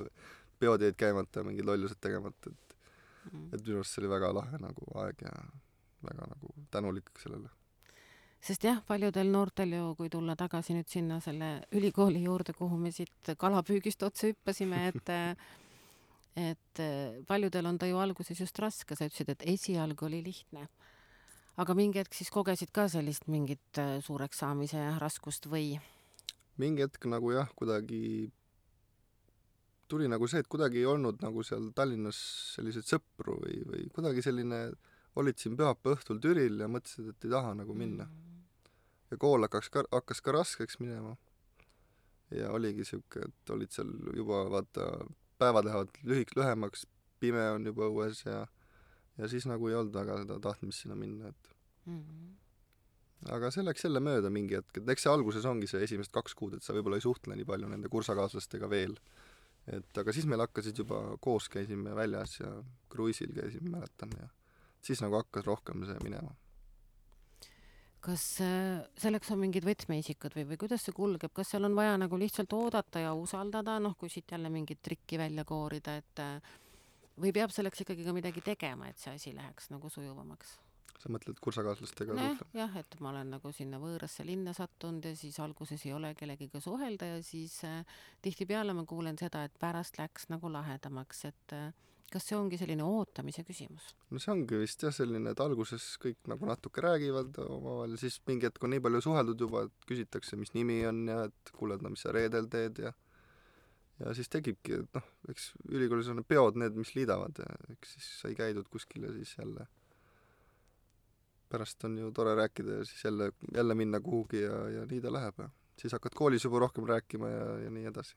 Speaker 3: peod jäid käimata, mingid lollused tegemata, et minu arust see oli väga lahe nagu aeg ja väga nagu tänulik sellele.
Speaker 2: Sest jah, paljudel noortel ju, kui tulla tagasi nüüd sinna selle ülikooli juurde, kuhu me siit kalapüügist otsa hüppasime, et paljudel on ta ju alguses just raske, sa ütlesid, et esialgu oli lihtne. Aga mingi hetk siis kogesid ka sellist mingit suureks saamise raskust või?
Speaker 3: Mingi hetk nagu jah, kuidagi tuli nagu see, et kuidagi ei olnud nagu seal Tallinnas selliseid sõpru või kuidagi selline, olid siin pühapäeva õhtul Türil ja mõtlesid, et ei taha nagu minna. Ja kool hakkas ka raskeks minema. Ja oligi siuke, et olid seal juba, vaata, päevad lähevad lühemaks, pime on juba õues ja siis nagu ei olnud väga seda tahtmist sinna minna, et aga see läks jälle mööda mingi hetk, et eks see alguses ongi see esimesed 2 kuud, et sa võib-olla ei suhtle nii palju nende kursakaaslastega veel. Et aga siis meil hakkasid juba koos, käisime väljas ja kruiisil käisime, mäletan, ja siis nagu hakkas rohkem see minema.
Speaker 2: Kas selleks on mingid võtmeisikud või kuidas see kulgeb? Kas seal on vaja nagu lihtsalt oodata ja usaldada, kui siit jälle mingit trikki välja koorida, et või peab selleks ikkagi ka midagi tegema, et see asi läheks nagu sujuvamaks?
Speaker 3: Sa mõtled kursakaaslastega suhtlema?
Speaker 2: Jah, et ma olen nagu sinna võõrasse linna sattunud ja siis alguses ei ole kellegiga suhelda ja siis tihtipeale ma kuulen seda, et pärast läks nagu lahedamaks, et kas see ongi selline ootamise küsimus?
Speaker 3: No see ongi vist jah selline, et alguses kõik nagu natuke räägivad omavahel, siis mingi hetk on nii palju suheldud juba, et küsitakse, mis nimi on ja et kuuled, mis sa reedel teed ja siis tegibki, et eks ülikoolis on peod need, mis liidavad ja eks siis sai käidud kuskil ja siis jälle pärast on ju tore rääkida ja siis jälle minna kuhugi ja nii ta läheb ja siis hakkad koolis juba rohkem rääkima ja nii edasi.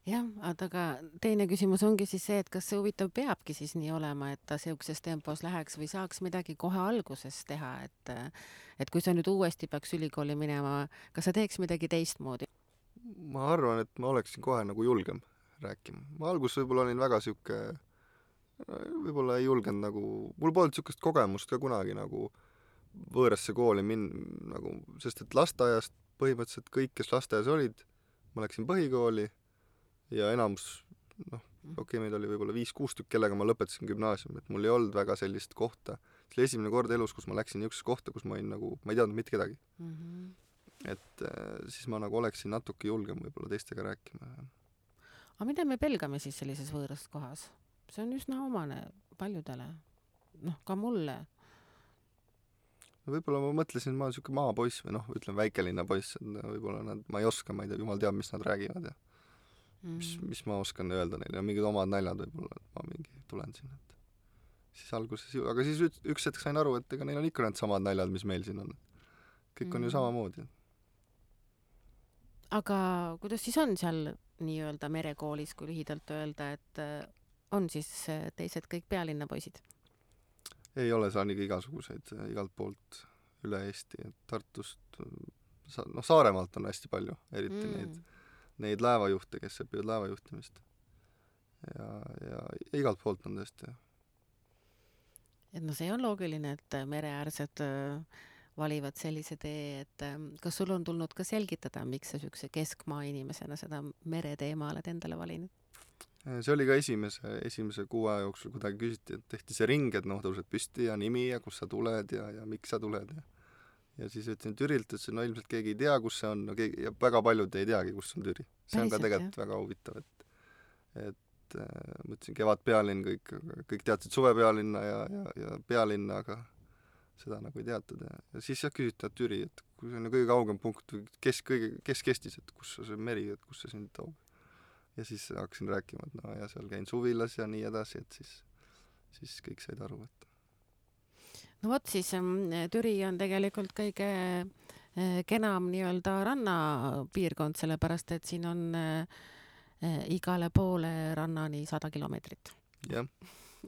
Speaker 2: jah, aga teine küsimus ongi siis see, et kas see huvitav peabki siis nii olema, et ta siukses tempos läheks või saaks midagi kohe alguses teha, et kui sa nüüd uuesti peaks ülikooli minema, kas sa teeks midagi teistmoodi?
Speaker 3: ma arvan, et ma oleksin kohe nagu julgem rääkima. Ma alguses võib-olla olin väga sihuke, võib-olla ei julgenud nagu, mul polnud siukest kogemust ka kunagi nagu võõrasse kooli nagu, sest et lasteaiast põhimõtteliselt kõik, kes lasteaias olid, ma läksin põhikooli ja enamus, meid oli võib-olla 5-6 tükk, kellega ma lõpetasin gümnaasiumi, et mul ei olnud väga sellist kohta. See oli esimene kord elus, kus ma läksin niisugusesse kohta, kus ma olin nagu, ma ei teadnud mitte kedagi. Et siis ma nagu oleksin natuke julgem võib-olla teistega rääkima.
Speaker 2: Aga mida me pelgame siis sellises võõras kohas? See on üsna omane paljudele. Ka mulle.
Speaker 3: Võib-olla ma mõtlesin, ma olen siuke maapoiss või ütleme väikelinna poiss, et võib-olla ma ei oska, ma ei tea, jumal teab, mis nad räägivad ja mis ma oskan öelda neile ja mingid omad naljad võib-olla, et ma mingi tulen siin, et siis alguses aga siis üks hetk sain aru, et ega neil on ikka need samad naljad, mis meil siin on. Kõik on ju samamoodi.
Speaker 2: Aga kuidas siis on seal nii-öelda merekoolis, kui lühidalt öelda, et on siis teised kõik pealinna poisid?
Speaker 3: Ei ole, saan ikka igasuguseid igalt poolt üle Eesti, et Tartust, Saaremaalt on hästi palju, eriti neid laevajuhte, kes õpivad laevajuhtimist. Ja igalt poolt on tõesti.
Speaker 2: Et see on loogiline, et mereäärsed valivad sellise tee, et kas sul on tulnud ka selgitada, miks sa siukse keskmaa inimesena seda mereteema oled endale valinud?
Speaker 3: See oli ka esimese 6 aja jooksul kuidagi küsiti, et tehti see ring, et tõused püsti ja nimi ja kus sa tuled ja miks sa tuled ja siis ütlesin Türilt, ütlesin, ilmselt keegi ei tea, kus see on, ja väga paljud ei teagi, kus on Türi. See on ka tegelikult väga huvitav, et ma ütlesin Kevadpealinn, kõik teadsid Suvepealinna ja pealinna, aga seda nagu ei teatud ja siis küsiti, et Türi, et kui see on kõige kaugem punkt, kes kestis, et kus see meri, et kus see sind toob. Ja siis hakkasin rääkima, et ja seal käin suvilas ja nii edasi, et siis kõik said aru, et
Speaker 2: vot siis Türi on tegelikult kõige kenam nii-öelda rannapiirkond, sellepärast et siin on igale poole rannani 100 kilomeetrit.
Speaker 3: Jah,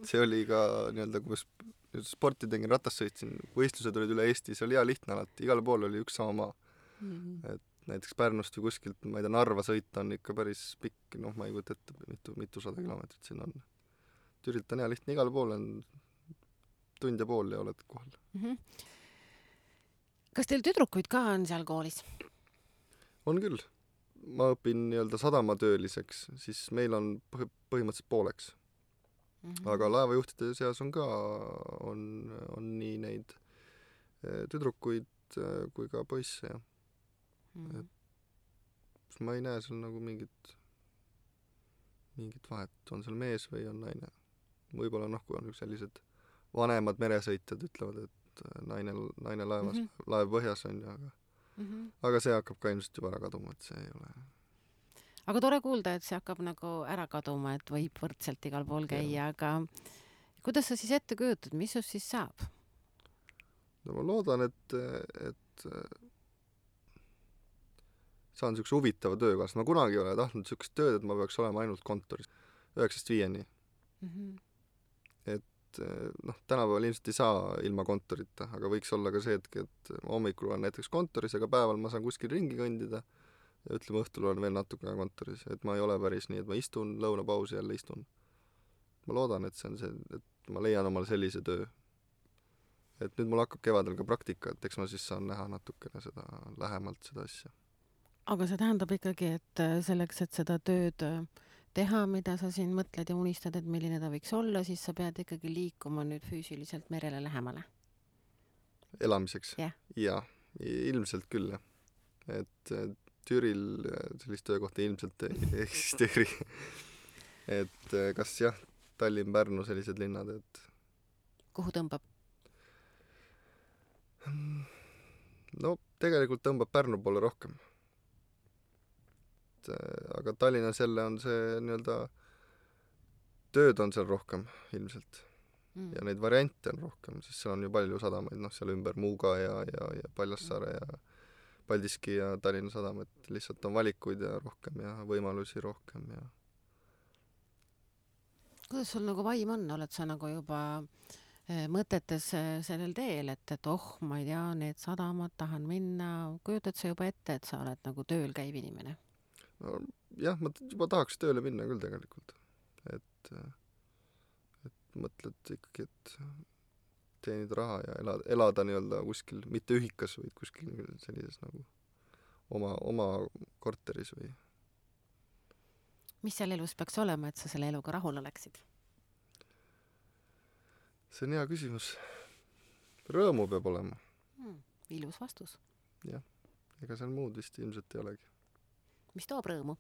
Speaker 3: see oli ka nii-öelda, kui ma sporti tegin, ratas sõitsin, võistlused olid üle Eesti, see oli hea lihtne alati, igale poole oli üks sama maa. Et näiteks Pärnust või kuskilt, ma ei tea, Narva sõita on ikka päris pikk, ma ei kujuta ette, mitu 100 kilomeetrit siin on. Türilt on hea lihtne, igale poole on tund ja pool ja oled kohal.
Speaker 2: Kas teil tüdrukuid ka on seal koolis? On
Speaker 3: küll. Ma õpin nii-öelda sadamatööliseks, siis meil on põhimõtteliselt pooleks. Aga laevajuhtide seas on ka, on nii neid tüdrukuid kui ka poisse, jah. Et ma ei näe seal nagu mingit vahet, on seal mees või on naine. Võib-olla kui on sellised vanemad meresõitjad ütlevad, et naine laevas, laev põhjas on ju, aga see hakkab ka ilmselt juba ära kaduma, et see ei ole.
Speaker 2: Aga tore kuulda, et see hakkab nagu ära kaduma, et võib võrdselt igal pool käia, aga kuidas sa siis ette kujutad, mis sus siis saab?
Speaker 3: No ma loodan, et saan niisuguse huvitava töökaasa. Ma kunagi ei ole tahtnud niisugust tööd, et ma peaks olema ainult kontoris 9-5. Et tänapäeval ilmselt ei saa ilma kontorita, aga võiks olla ka see hetk, et hommikul olen näiteks kontoris, aga päeval ma saan kuskil ringi kõndida ja ütleme, õhtul olen veel natuke kontoris. Et ma ei ole päris nii, et ma istun, lõunapausi jälle istun. Ma loodan, et see on see, et ma leian omale sellise töö. Et nüüd mul hakkab kevadel ka praktika, et eks ma siis saan näha natukene seda lähemalt seda asja.
Speaker 2: Aga see tähendab ikkagi, et selleks, et seda tööd teha, mida sa siin mõtled ja unistad, et milline ta võiks olla, siis sa pead ikkagi liikuma nüüd füüsiliselt merele lähemale.
Speaker 3: Elamiseks? Ja, ilmselt küll, jah. Et Türil sellist töökohta ilmselt ei eksisteeri. Et kas jah, Tallinn, Pärnu, sellised linnad, et
Speaker 2: kuhu tõmbab?
Speaker 3: No tegelikult tõmbab Pärnu poole rohkem. Aga Tallinnas jälle on see nii-öelda tööd on seal rohkem ilmselt ja neid variante on rohkem, sest seal on ju palju sadamaid, seal ümber Muuga ja Paljassaare ja Paldiski ja Tallinna Sadam, et lihtsalt on valikuid ja rohkem ja võimalusi rohkem ja
Speaker 2: kuidas sul nagu vaim on, oled sa nagu juba mõtetes sellel teel, et ma ei tea, need sadamad tahan minna, kujutad sa juba ette, et sa oled nagu tööl käiv inimene?
Speaker 3: no jah, ma juba tahaks tööle minna küll tegelikult. Et mõtled ikkagi, et teenida raha ja elada nii-öelda kuskil, mitte ühikas, vaid kuskil sellises nagu oma korteris või.
Speaker 2: Mis seal elus peaks olema, et sa selle eluga rahul oleksid?
Speaker 3: See on hea küsimus. Rõõmu peab olema.
Speaker 2: Ilus vastus.
Speaker 3: Jah, ega seal muud vist ilmselt ei olegi.
Speaker 2: Mis toob rõõmu?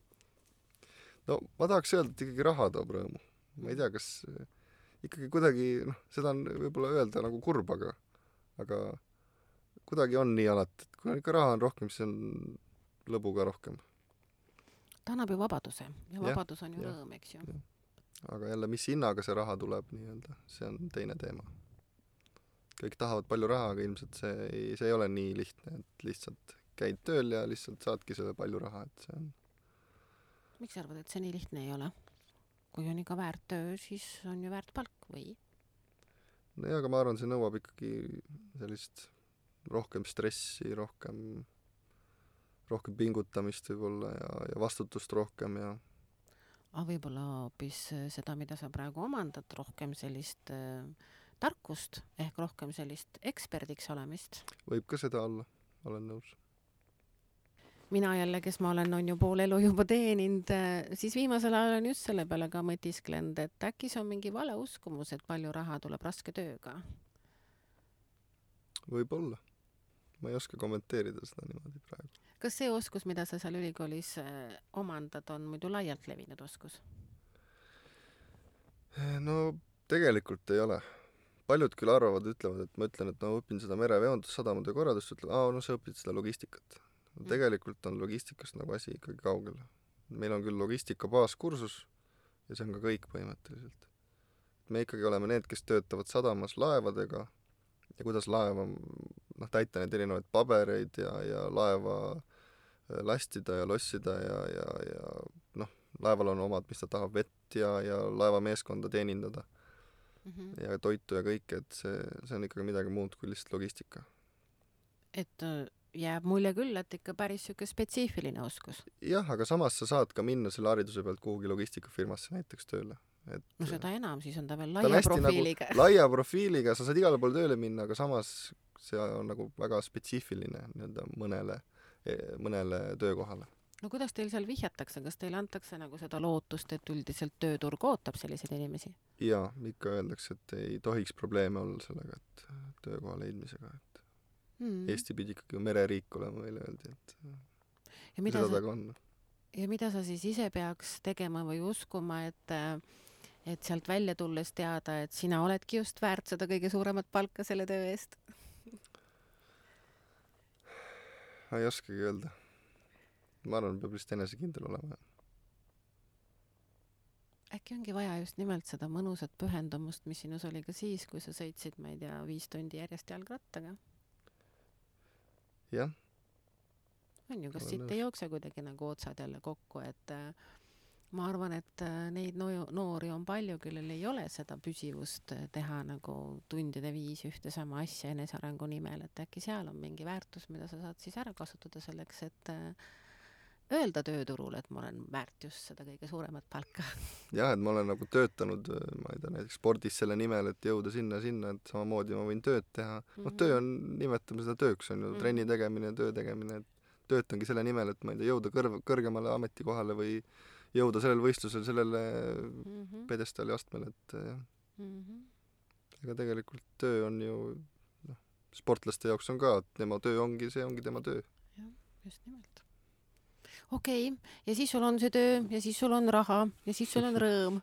Speaker 3: No ma tahaks öelda, et ikkagi raha toob rõõmu. Ma ei tea, kas ikkagi kuidagi, seda on võib-olla öelda nagu kurb, aga kuidagi on nii alati, et kui ikka raha on rohkem, siis on lõbu ka rohkem.
Speaker 2: Ta annab ju vabaduse ja vabadus on ju rõõm, eks ju.
Speaker 3: Aga jälle, mis hinnaga see raha tuleb nii-öelda, see on teine teema. Kõik tahavad palju raha, aga ilmselt see ei ole nii lihtne, et lihtsalt käid tööl ja lihtsalt saadki selle palju raha, et see on.
Speaker 2: Miks sa arvad, et see nii lihtne ei ole? Kui on ikka väärt töö, siis on ju väärt palk või?
Speaker 3: No aga ma arvan, see nõuab ikkagi sellist rohkem stressi, rohkem pingutamist võib-olla ja vastutust rohkem ja
Speaker 2: Aga võib-olla hoopis seda, mida sa praegu omandad, rohkem sellist tarkust ehk rohkem sellist eksperdiks olemist.
Speaker 3: võib ka seda olla, olen nõus.
Speaker 2: Mina jälle, kes ma olen, on ju pool elu juba teeninud, siis viimasel ajal on just selle peale ka mõtisklenud, et äkki see on mingi vale uskumus, et palju raha tuleb raske tööga.
Speaker 3: Võib-olla. Ma ei oska kommenteerida seda niimoodi praegu.
Speaker 2: Kas see oskus, mida sa seal ülikoolis omandad, on muidu laialt levinud oskus?
Speaker 3: No tegelikult ei ole. Paljud küll arvavad, ütlevad, et ma ütlen, et õpin seda mereveondust, sadamade korraldust, ütlen, sa õpid seda logistikat. Tegelikult on logistikast nagu asi ikkagi kaugel. Meil on küll logistika baaskursus ja see on ka kõik põhimõtteliselt. Me ikkagi oleme need, kes töötavad sadamas laevadega ja kuidas laeva täita neid erinevaid pabereid ja laeva lastida ja lossida ja laeval on omad, mis ta tahab, vett ja laevameeskonda teenindada ja toitu ja kõike, et see on ikkagi midagi muud kui lihtsalt logistika.
Speaker 2: Et jääb mulje küll, et ikka päris siuke spetsiifiline oskus.
Speaker 3: Jah, aga samas sa saad ka minna selle hariduse pealt kuhugi logistikafirmasse näiteks tööle.
Speaker 2: No seda enam, siis on ta veel laia profiiliga.
Speaker 3: Nagu laia profiiliga, sa saad igale poole tööle minna, aga samas see on nagu väga spetsiifiline mõnele töökohale.
Speaker 2: No kuidas teil seal vihjatakse? Kas teil antakse nagu seda lootust, et üldiselt tööturg ootab selliseid inimesi?
Speaker 3: Jaa, ikka öeldakse, et ei tohiks probleeme olla sellega, et töökoha leidmisega. Eesti pidi ikkagi mereriik olema, meile öeldi, et mida ta ka on.
Speaker 2: Ja mida sa siis ise peaks tegema või uskuma, et sealt välja tulles teada, et sina oledki just väärt seda kõige suuremat palka selle töö eest?
Speaker 3: Ma ei oskagi öelda. Ma arvan, peab vist enesekindel olema.
Speaker 2: Äkki ongi vaja just nimelt seda mõnusat pühendumust, mis sinus oli ka siis, kui sa sõitsid, ma ei tea, 5 tundi järjest jalgrattaga?
Speaker 3: Jah.
Speaker 2: On ju, kas siit ei jookse kuidagi nagu otsad jälle kokku, et ma arvan, et neid noori on palju, kellel ei ole seda püsivust teha nagu tundide viis ühte sama asja enesearengu nimel, et äkki seal on mingi väärtus, mida sa saad siis ära kasutada selleks, et öelda tööturul, et ma olen väärt just seda kõige suuremat palka.
Speaker 3: Jah, et ma olen nagu töötanud, ma ei tea, näiteks spordis selle nimel, et jõuda sinna, et samamoodi ma võin tööd teha. Töö on, nimetame seda tööks, on ju trenni tegemine, töö tegemine, et töötangi selle nimel, et ma ei tea, jõuda kõrgemale ametikohale või jõuda sellel võistlusel, sellele pedestaali astmele, et ega tegelikult töö on ju, sportlaste jaoks on ka, et tema töö ongi, see ongi tema töö.
Speaker 2: Jah, just nimelt. Okei, ja siis sul on see töö ja siis sul on raha ja siis sul on rõõm.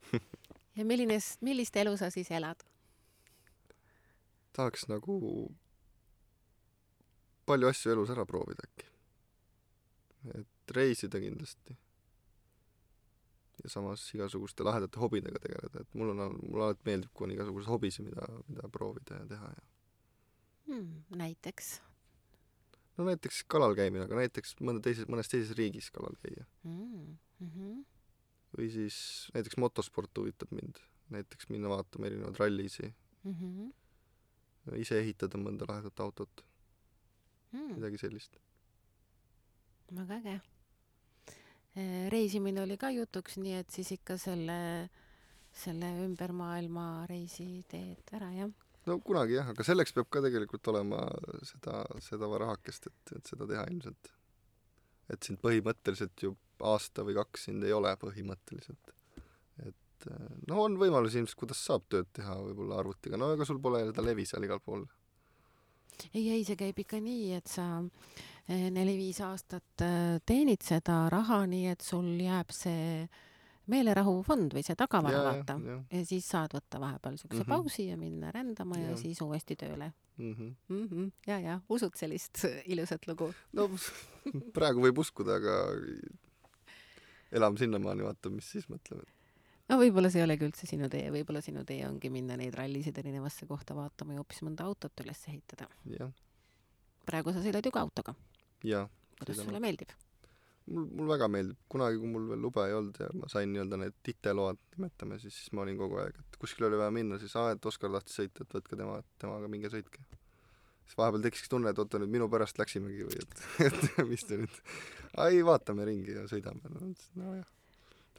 Speaker 2: Ja millist elu sa siis elad?
Speaker 3: Tahaks nagu palju asju elus ära proovida äkki. Et reisida kindlasti. Ja samas igasuguste lahedate hobidega tegeleda. Et mulle alati meeldib, kui on igasugused hobisi, mida proovida ja teha.
Speaker 2: Näiteks?
Speaker 3: no näiteks kalal käimine, aga näiteks mõnes teises riigis kalal käia. Või siis näiteks motosport huvitab mind. Näiteks minna vaatama erinevad rallisi. Ise ehitada mõnda lahedat autot. Midagi sellist.
Speaker 2: Väga äge. Reisimine oli ka jutuks, nii et siis ikka selle ümber maailma reisi teed ära, jah?
Speaker 3: No kunagi jah, aga selleks peab ka tegelikult olema seda rahakest, et seda teha ilmselt. Et sind põhimõtteliselt ju aasta või 2 sind ei ole põhimõtteliselt. Et no on võimalus ilmselt, kuidas saab tööd teha võib-olla arvutiga, no aga sul pole seda levi seal igal pool.
Speaker 2: Ei, see käib ikka nii, et sa 4-5 aastat teenid seda raha, nii et sul jääb see meelerahufond või see tagavara vaata. Ja siis saad võtta vahepeal sükse pausi ja minna rändama ja siis uuesti tööle. Ja, usud sellist ilusat lugu?
Speaker 3: No praegu võib uskuda, aga elame sinnamaani, vaata, mis siis mõtleme.
Speaker 2: No võib-olla see ei olegi üldse sinu tee, võib-olla sinu tee ongi minna neid rallisid erinevasse kohta vaatama ja hoopis mõnda autot üles ehitada. Praegu sa sõidad ju ka autoga. Kuidas sulle meeldib?
Speaker 3: Mul väga meeldib. Kunagi, kui mul veel luba ei olnud ja ma sain nii-öelda need titeload nimetame, siis ma olin kogu aeg, et kuskil oli vaja minna, siis et Oskar tahtis sõita, et võtke temaga minge sõitke. Siis vahepeal tekiski tunne, et oota nüüd minu pärast läksimegi või et mis te nüüd vaatame ringi ja sõidame. No jah.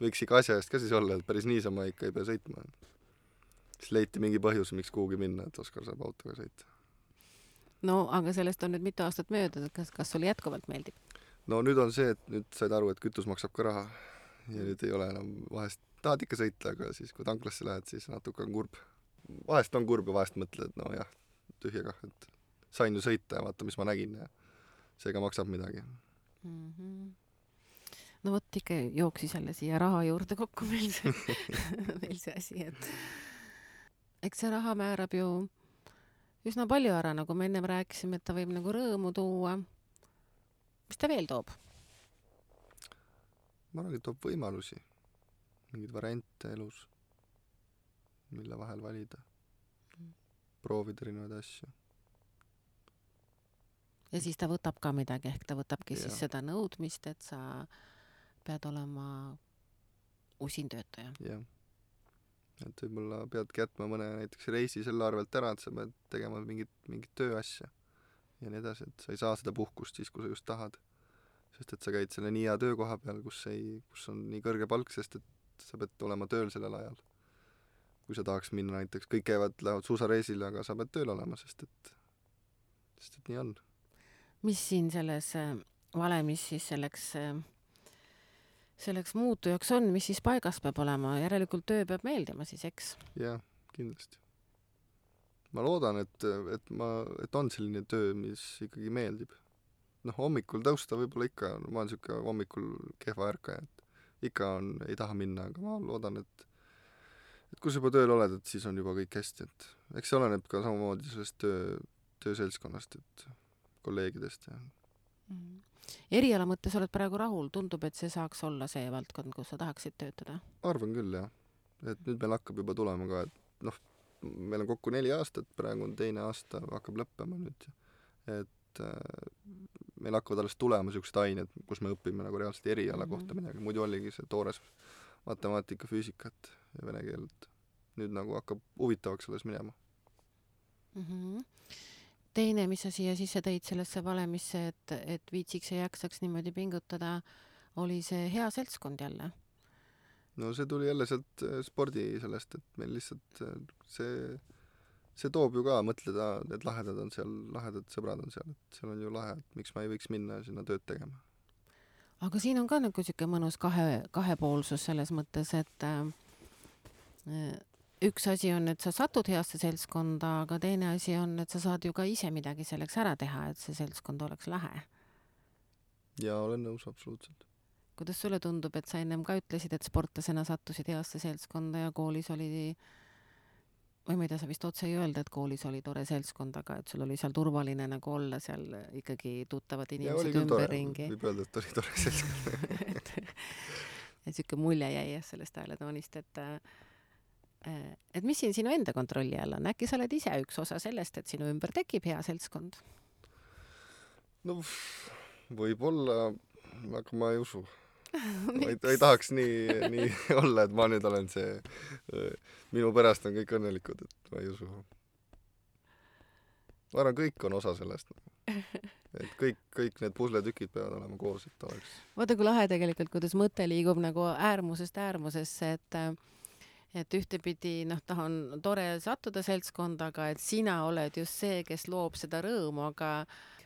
Speaker 3: Võiks ikka asja eest ka siis olla, et päris niisama ikka ei pea sõitma. Siis leiti mingi põhjus, miks kuhugi minna, et Oskar saab autoga sõita.
Speaker 2: No, aga sellest on nüüd mitu aastat mööda, kas sulle jätkuvalt meeldib?
Speaker 3: No nüüd on see, et nüüd said aru, et kütus maksab ka raha ja nüüd ei ole enam vahest, tahad ikka sõita, aga siis kui tanklasse lähed, siis natuke on kurb. Vahest on kurb ja vahest mõtled, et no jah, tühja kah, et sain ju sõita ja vaata, mis ma nägin ja seega maksab midagi.
Speaker 2: No võt ikka jooksis jälle siia raha juurde kokku meil see asi, et eks see raha määrab ju üsna palju ära, nagu me ennem rääkisime, et ta võib nagu rõõmu tuua. Mis ta veel toob?
Speaker 3: Ma arvan, et toob võimalusi, mingeid variante elus, mille vahel valida, proovida erinevaid asju.
Speaker 2: Ja siis ta võtab ka midagi, ehk ta võtabki siis seda nõudmist, et sa pead olema usin töötaja.
Speaker 3: Jah, et võib-olla peadki jätma mõne näiteks reisi selle arvelt ära, et sa pead tegema mingit tööasja ja nii edasi, et sa ei saa seda puhkust siis, kui sa just tahad. Sest et sa käid selle nii hea töökoha peal, kus on nii kõrge palk, sest et sa pead olema tööl sellel ajal. Kui sa tahaks minna näiteks, kõik lähevad suusareisile, aga sa pead tööl olema, sest et nii on.
Speaker 2: Mis siin selles valemis siis selleks muutujaks on, mis siis paigas peab olema? Järelikult töö peab meeldima siis, eks?
Speaker 3: Jah, kindlasti. Ma loodan, et on selline töö, mis ikkagi meeldib. Hommikul tõusta võib-olla ikka, ma olen siuke hommikul kehva ärkaja, et ikka ei taha minna, aga ma loodan, et kui sa juba tööl oled, et siis on juba kõik hästi, et eks see oleneb ka samamoodi sellest tööselskonnast, et kolleegidest.
Speaker 2: Eriala mõttes oled praegu rahul, tundub, et see saaks olla see valdkond, kus sa tahaksid töötada?
Speaker 3: Arvan küll, jah. Et nüüd meil hakkab juba tulema ka, et meil on kokku 4 aastat, praegu on 2. aasta, hakkab lõppema nüüd, et meil hakkavad alles tulema siuksed ained, kus me õpime nagu reaalselt eriala kohta midagi, muidu oligi see toores matemaatika, füüsikat ja vene keelt. Nüüd nagu hakkab huvitavaks alles minema.
Speaker 2: Teine, mis sa siia sisse tõid sellesse valemisse, et viitsiks ja jaksaks niimoodi pingutada, oli see hea seltskond jälle?
Speaker 3: No see tuli jälle sealt spordi sellest, et meil lihtsalt see toob ju ka mõtleda, et lahedad on seal, lahedad sõbrad on seal, et seal on ju lahe, et miks ma ei võiks minna sinna tööd tegema.
Speaker 2: Aga siin on ka nagu siuke mõnus kahepoolsus selles mõttes, et üks asi on, et sa satud heasse seltskonda, aga teine asi on, et sa saad ju ka ise midagi selleks ära teha, et see seltskond oleks lahe.
Speaker 3: Ja olen nõus absoluutselt.
Speaker 2: Kuidas sulle tundub, et sa ennem ka ütlesid, et sportlasena sattusid heasse seltskonda ja koolis oli, või ma ei tea, sa vist otse ei öelda, et koolis oli tore seltskond, aga et sul oli seal turvaline nagu olla seal ikkagi tuttavad inimesed ümberringi.
Speaker 3: Võib öelda, et oli tore seltskond.
Speaker 2: et siuke mulje jäi sellest hääletoonist, et mis siin sinu enda kontrolli all on? Äkki sa oled ise üks osa sellest, et sinu ümber tekib hea seltskond?
Speaker 3: no võib-olla, aga ma ei usu. ma ei tahaks nii olla, et ma nüüd olen see, minu pärast on kõik õnnelikud, et ma ei usu. Ma arvan, kõik on osa sellest. Et kõik need pusletükid peavad olema koos, et oleks.
Speaker 2: Vaata, kui lahe tegelikult, kuidas mõte liigub nagu äärmusest äärmusesse, et ühtepidi, on tore sattuda seltskonda, aga et sina oled just see, kes loob seda rõõmu, aga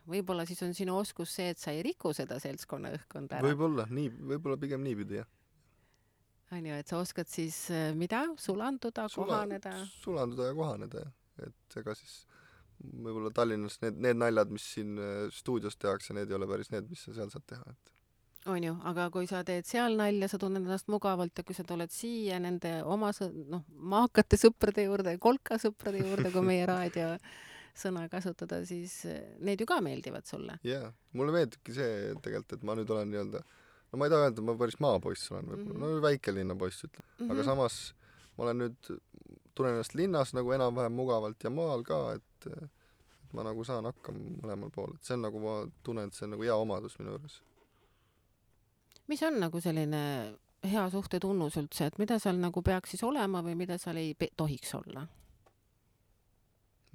Speaker 2: võib-olla siis on sinu oskus see, et sa ei riku seda seltskonna õhkkonda ära.
Speaker 3: Võib-olla pigem niipidi, jah.
Speaker 2: On ju, et sa oskad siis mida? Sulanduda, kohaneda?
Speaker 3: Sulanduda ja kohaneda, jah. Et ega siis võib-olla Tallinnas need naljad, mis siin stuudios tehakse, need ei ole päris need, mis sa seal saad teha, et
Speaker 2: on ju, aga kui sa teed seal nalja, sa tunned ennast mugavalt ja kui sa tuled siia nende oma maakate sõprade juurde, kolkasõprade juurde, kui meie raadio sõna kasutada, siis need ju ka meeldivad sulle.
Speaker 3: Jaa, mulle meeldibki see tegelikult, et ma nüüd olen nii-öelda, no ma ei taha öelda, et ma päris maapoiss olen võib-olla, no väikelinna poiss ütleb, aga samas ma olen nüüd, tunnen ennast linnas nagu enam-vähem mugavalt ja maal ka, et ma nagu saan hakkama mõlemal pool, et see on nagu, ma tunnen, et see on nagu hea omadus minu juures.
Speaker 2: Mis on nagu selline hea suhte tunnus üldse, et mida seal nagu peaks siis olema või mida seal ei tohiks olla?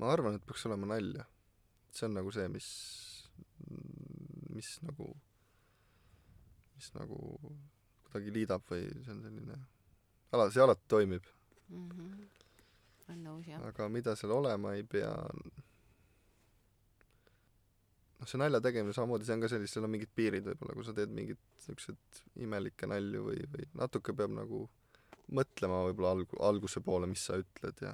Speaker 3: Ma arvan, et peaks olema nalja. See on nagu see, mis nagu kuidagi liidab või see on selline, see alati toimib.
Speaker 2: On nõus, jah.
Speaker 3: Aga mida seal olema ei pea, see nalja tegemine samamoodi, see on ka sellist, seal on mingid piirid võib-olla, kui sa teed mingid niisugused imelikke nalju või natuke peab nagu mõtlema võib-olla alguse poole, mis sa ütled ja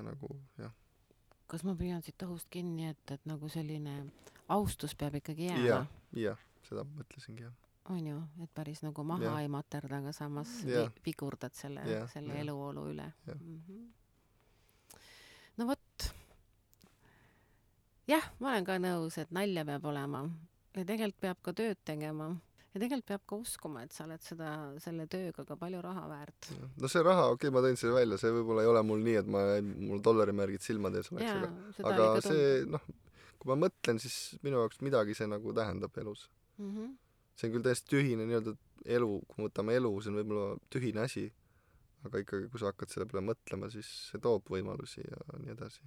Speaker 3: nagu, jah.
Speaker 2: Kas ma püüan siit õhust kinni, et nagu selline austus peab ikkagi jääma?
Speaker 3: Jah, seda mõtlesingi, jah.
Speaker 2: On ju, et päris nagu maha ei materda, aga samas vigurdad selle eluolu üle. No vot. Jah, ma olen ka nõus, et nalja peab olema ja tegelikult peab ka tööd tegema ja tegelikult peab ka uskuma, et sa oled selle tööga ka palju raha väärt.
Speaker 3: No see raha, ma tõin selle välja, see võib-olla ei ole mul nii, et mul dollarimärgid silmade ees oleks, aga see, kui ma mõtlen, siis minu jaoks midagi see nagu tähendab elus. See on küll täiesti tühine nii-öelda elu, kui võtame elu, see on võib-olla tühine asi, aga ikkagi, kui sa hakkad selle peale mõtlema, siis see toob võimalusi ja nii edasi.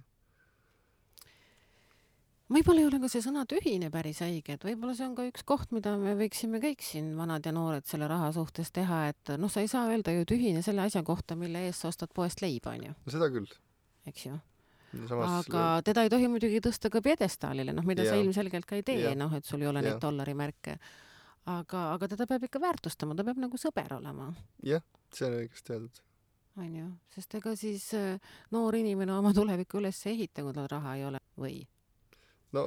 Speaker 2: Võib-olla ei ole ka see sõna tühine päris õige, et võib-olla see on ka üks koht, mida me võiksime kõik siin vanad ja noored selle raha suhtes teha, et sa ei saa öelda ju tühine selle asja kohta, mille eest sa ostad poest leiba, on ju.
Speaker 3: No seda küll.
Speaker 2: Eks ju.
Speaker 3: Samas
Speaker 2: aga teda ei tohi muidugi tõsta ka pjedestaalile, mida sa ilmselgelt ka ei tee, et sul ei ole neid dollarimärke. Aga teda peab ikka väärtustama, ta peab nagu sõber olema.
Speaker 3: Jah, see on õigesti öeldud.
Speaker 2: On ju, sest ega siis noor inimene oma tulevikku üles ehita, kui tal raha ei ole või?
Speaker 3: No,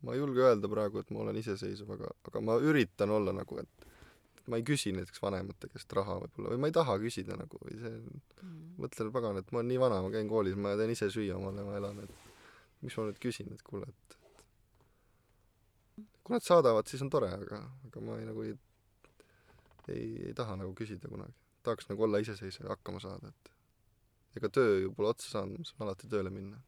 Speaker 3: ma ei julge öelda praegu, et ma olen iseseisev, aga ma üritan olla nagu, et ma ei küsi näiteks vanemate käest raha võib-olla, või ma ei taha küsida nagu, või see, mõtlen pagan, et ma olen nii vana, ma käin koolis, ma teen ise süüa omale, ma elan, et miks ma nüüd küsin, et kuule, et kui nad saadavad, siis on tore, aga ma ei taha nagu küsida kunagi. Tahaks nagu olla iseseisev ja hakkama saada, et ega töö ju pole otsa saanud, ma saan alati tööle minna.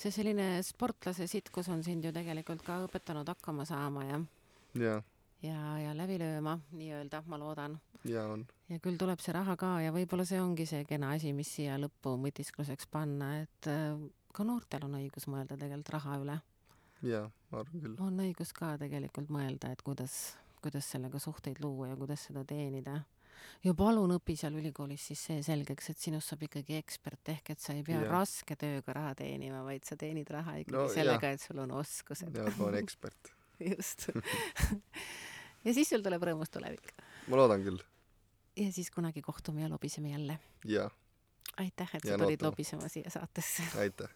Speaker 2: See selline sportlase sitkus on sind ju tegelikult ka õpetanud hakkama saama ja läbi lööma, nii-öelda, ma loodan.
Speaker 3: Ja on.
Speaker 2: Ja küll tuleb see raha ka ja võib-olla see ongi see kena asi, mis siia lõppu mõtiskluseks panna, et ka noortel on õigus mõelda tegelikult raha üle.
Speaker 3: Ja, ma arvan küll.
Speaker 2: On õigus ka tegelikult mõelda, et kuidas sellega suhteid luua ja kuidas seda teenida. Ja palun õpi seal ülikoolis siis see selgeks, et sinust saab ikkagi ekspert ehk, et sa ei pea raske tööga raha teenima, vaid sa teenid raha ikkagi sellega, et sul on oskused.
Speaker 3: Ja, ma olen ekspert.
Speaker 2: Just. Ja siis sul tuleb rõõmus tulevik.
Speaker 3: Ma loodan küll.
Speaker 2: Ja siis kunagi kohtume ja lobiseme jälle.
Speaker 3: Ja.
Speaker 2: Aitäh, et sa tulid lobisema siia saatesse.
Speaker 3: Aitäh.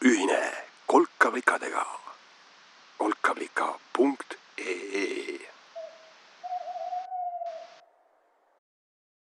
Speaker 1: Ühine kolkavlikadega kolkavlika.ee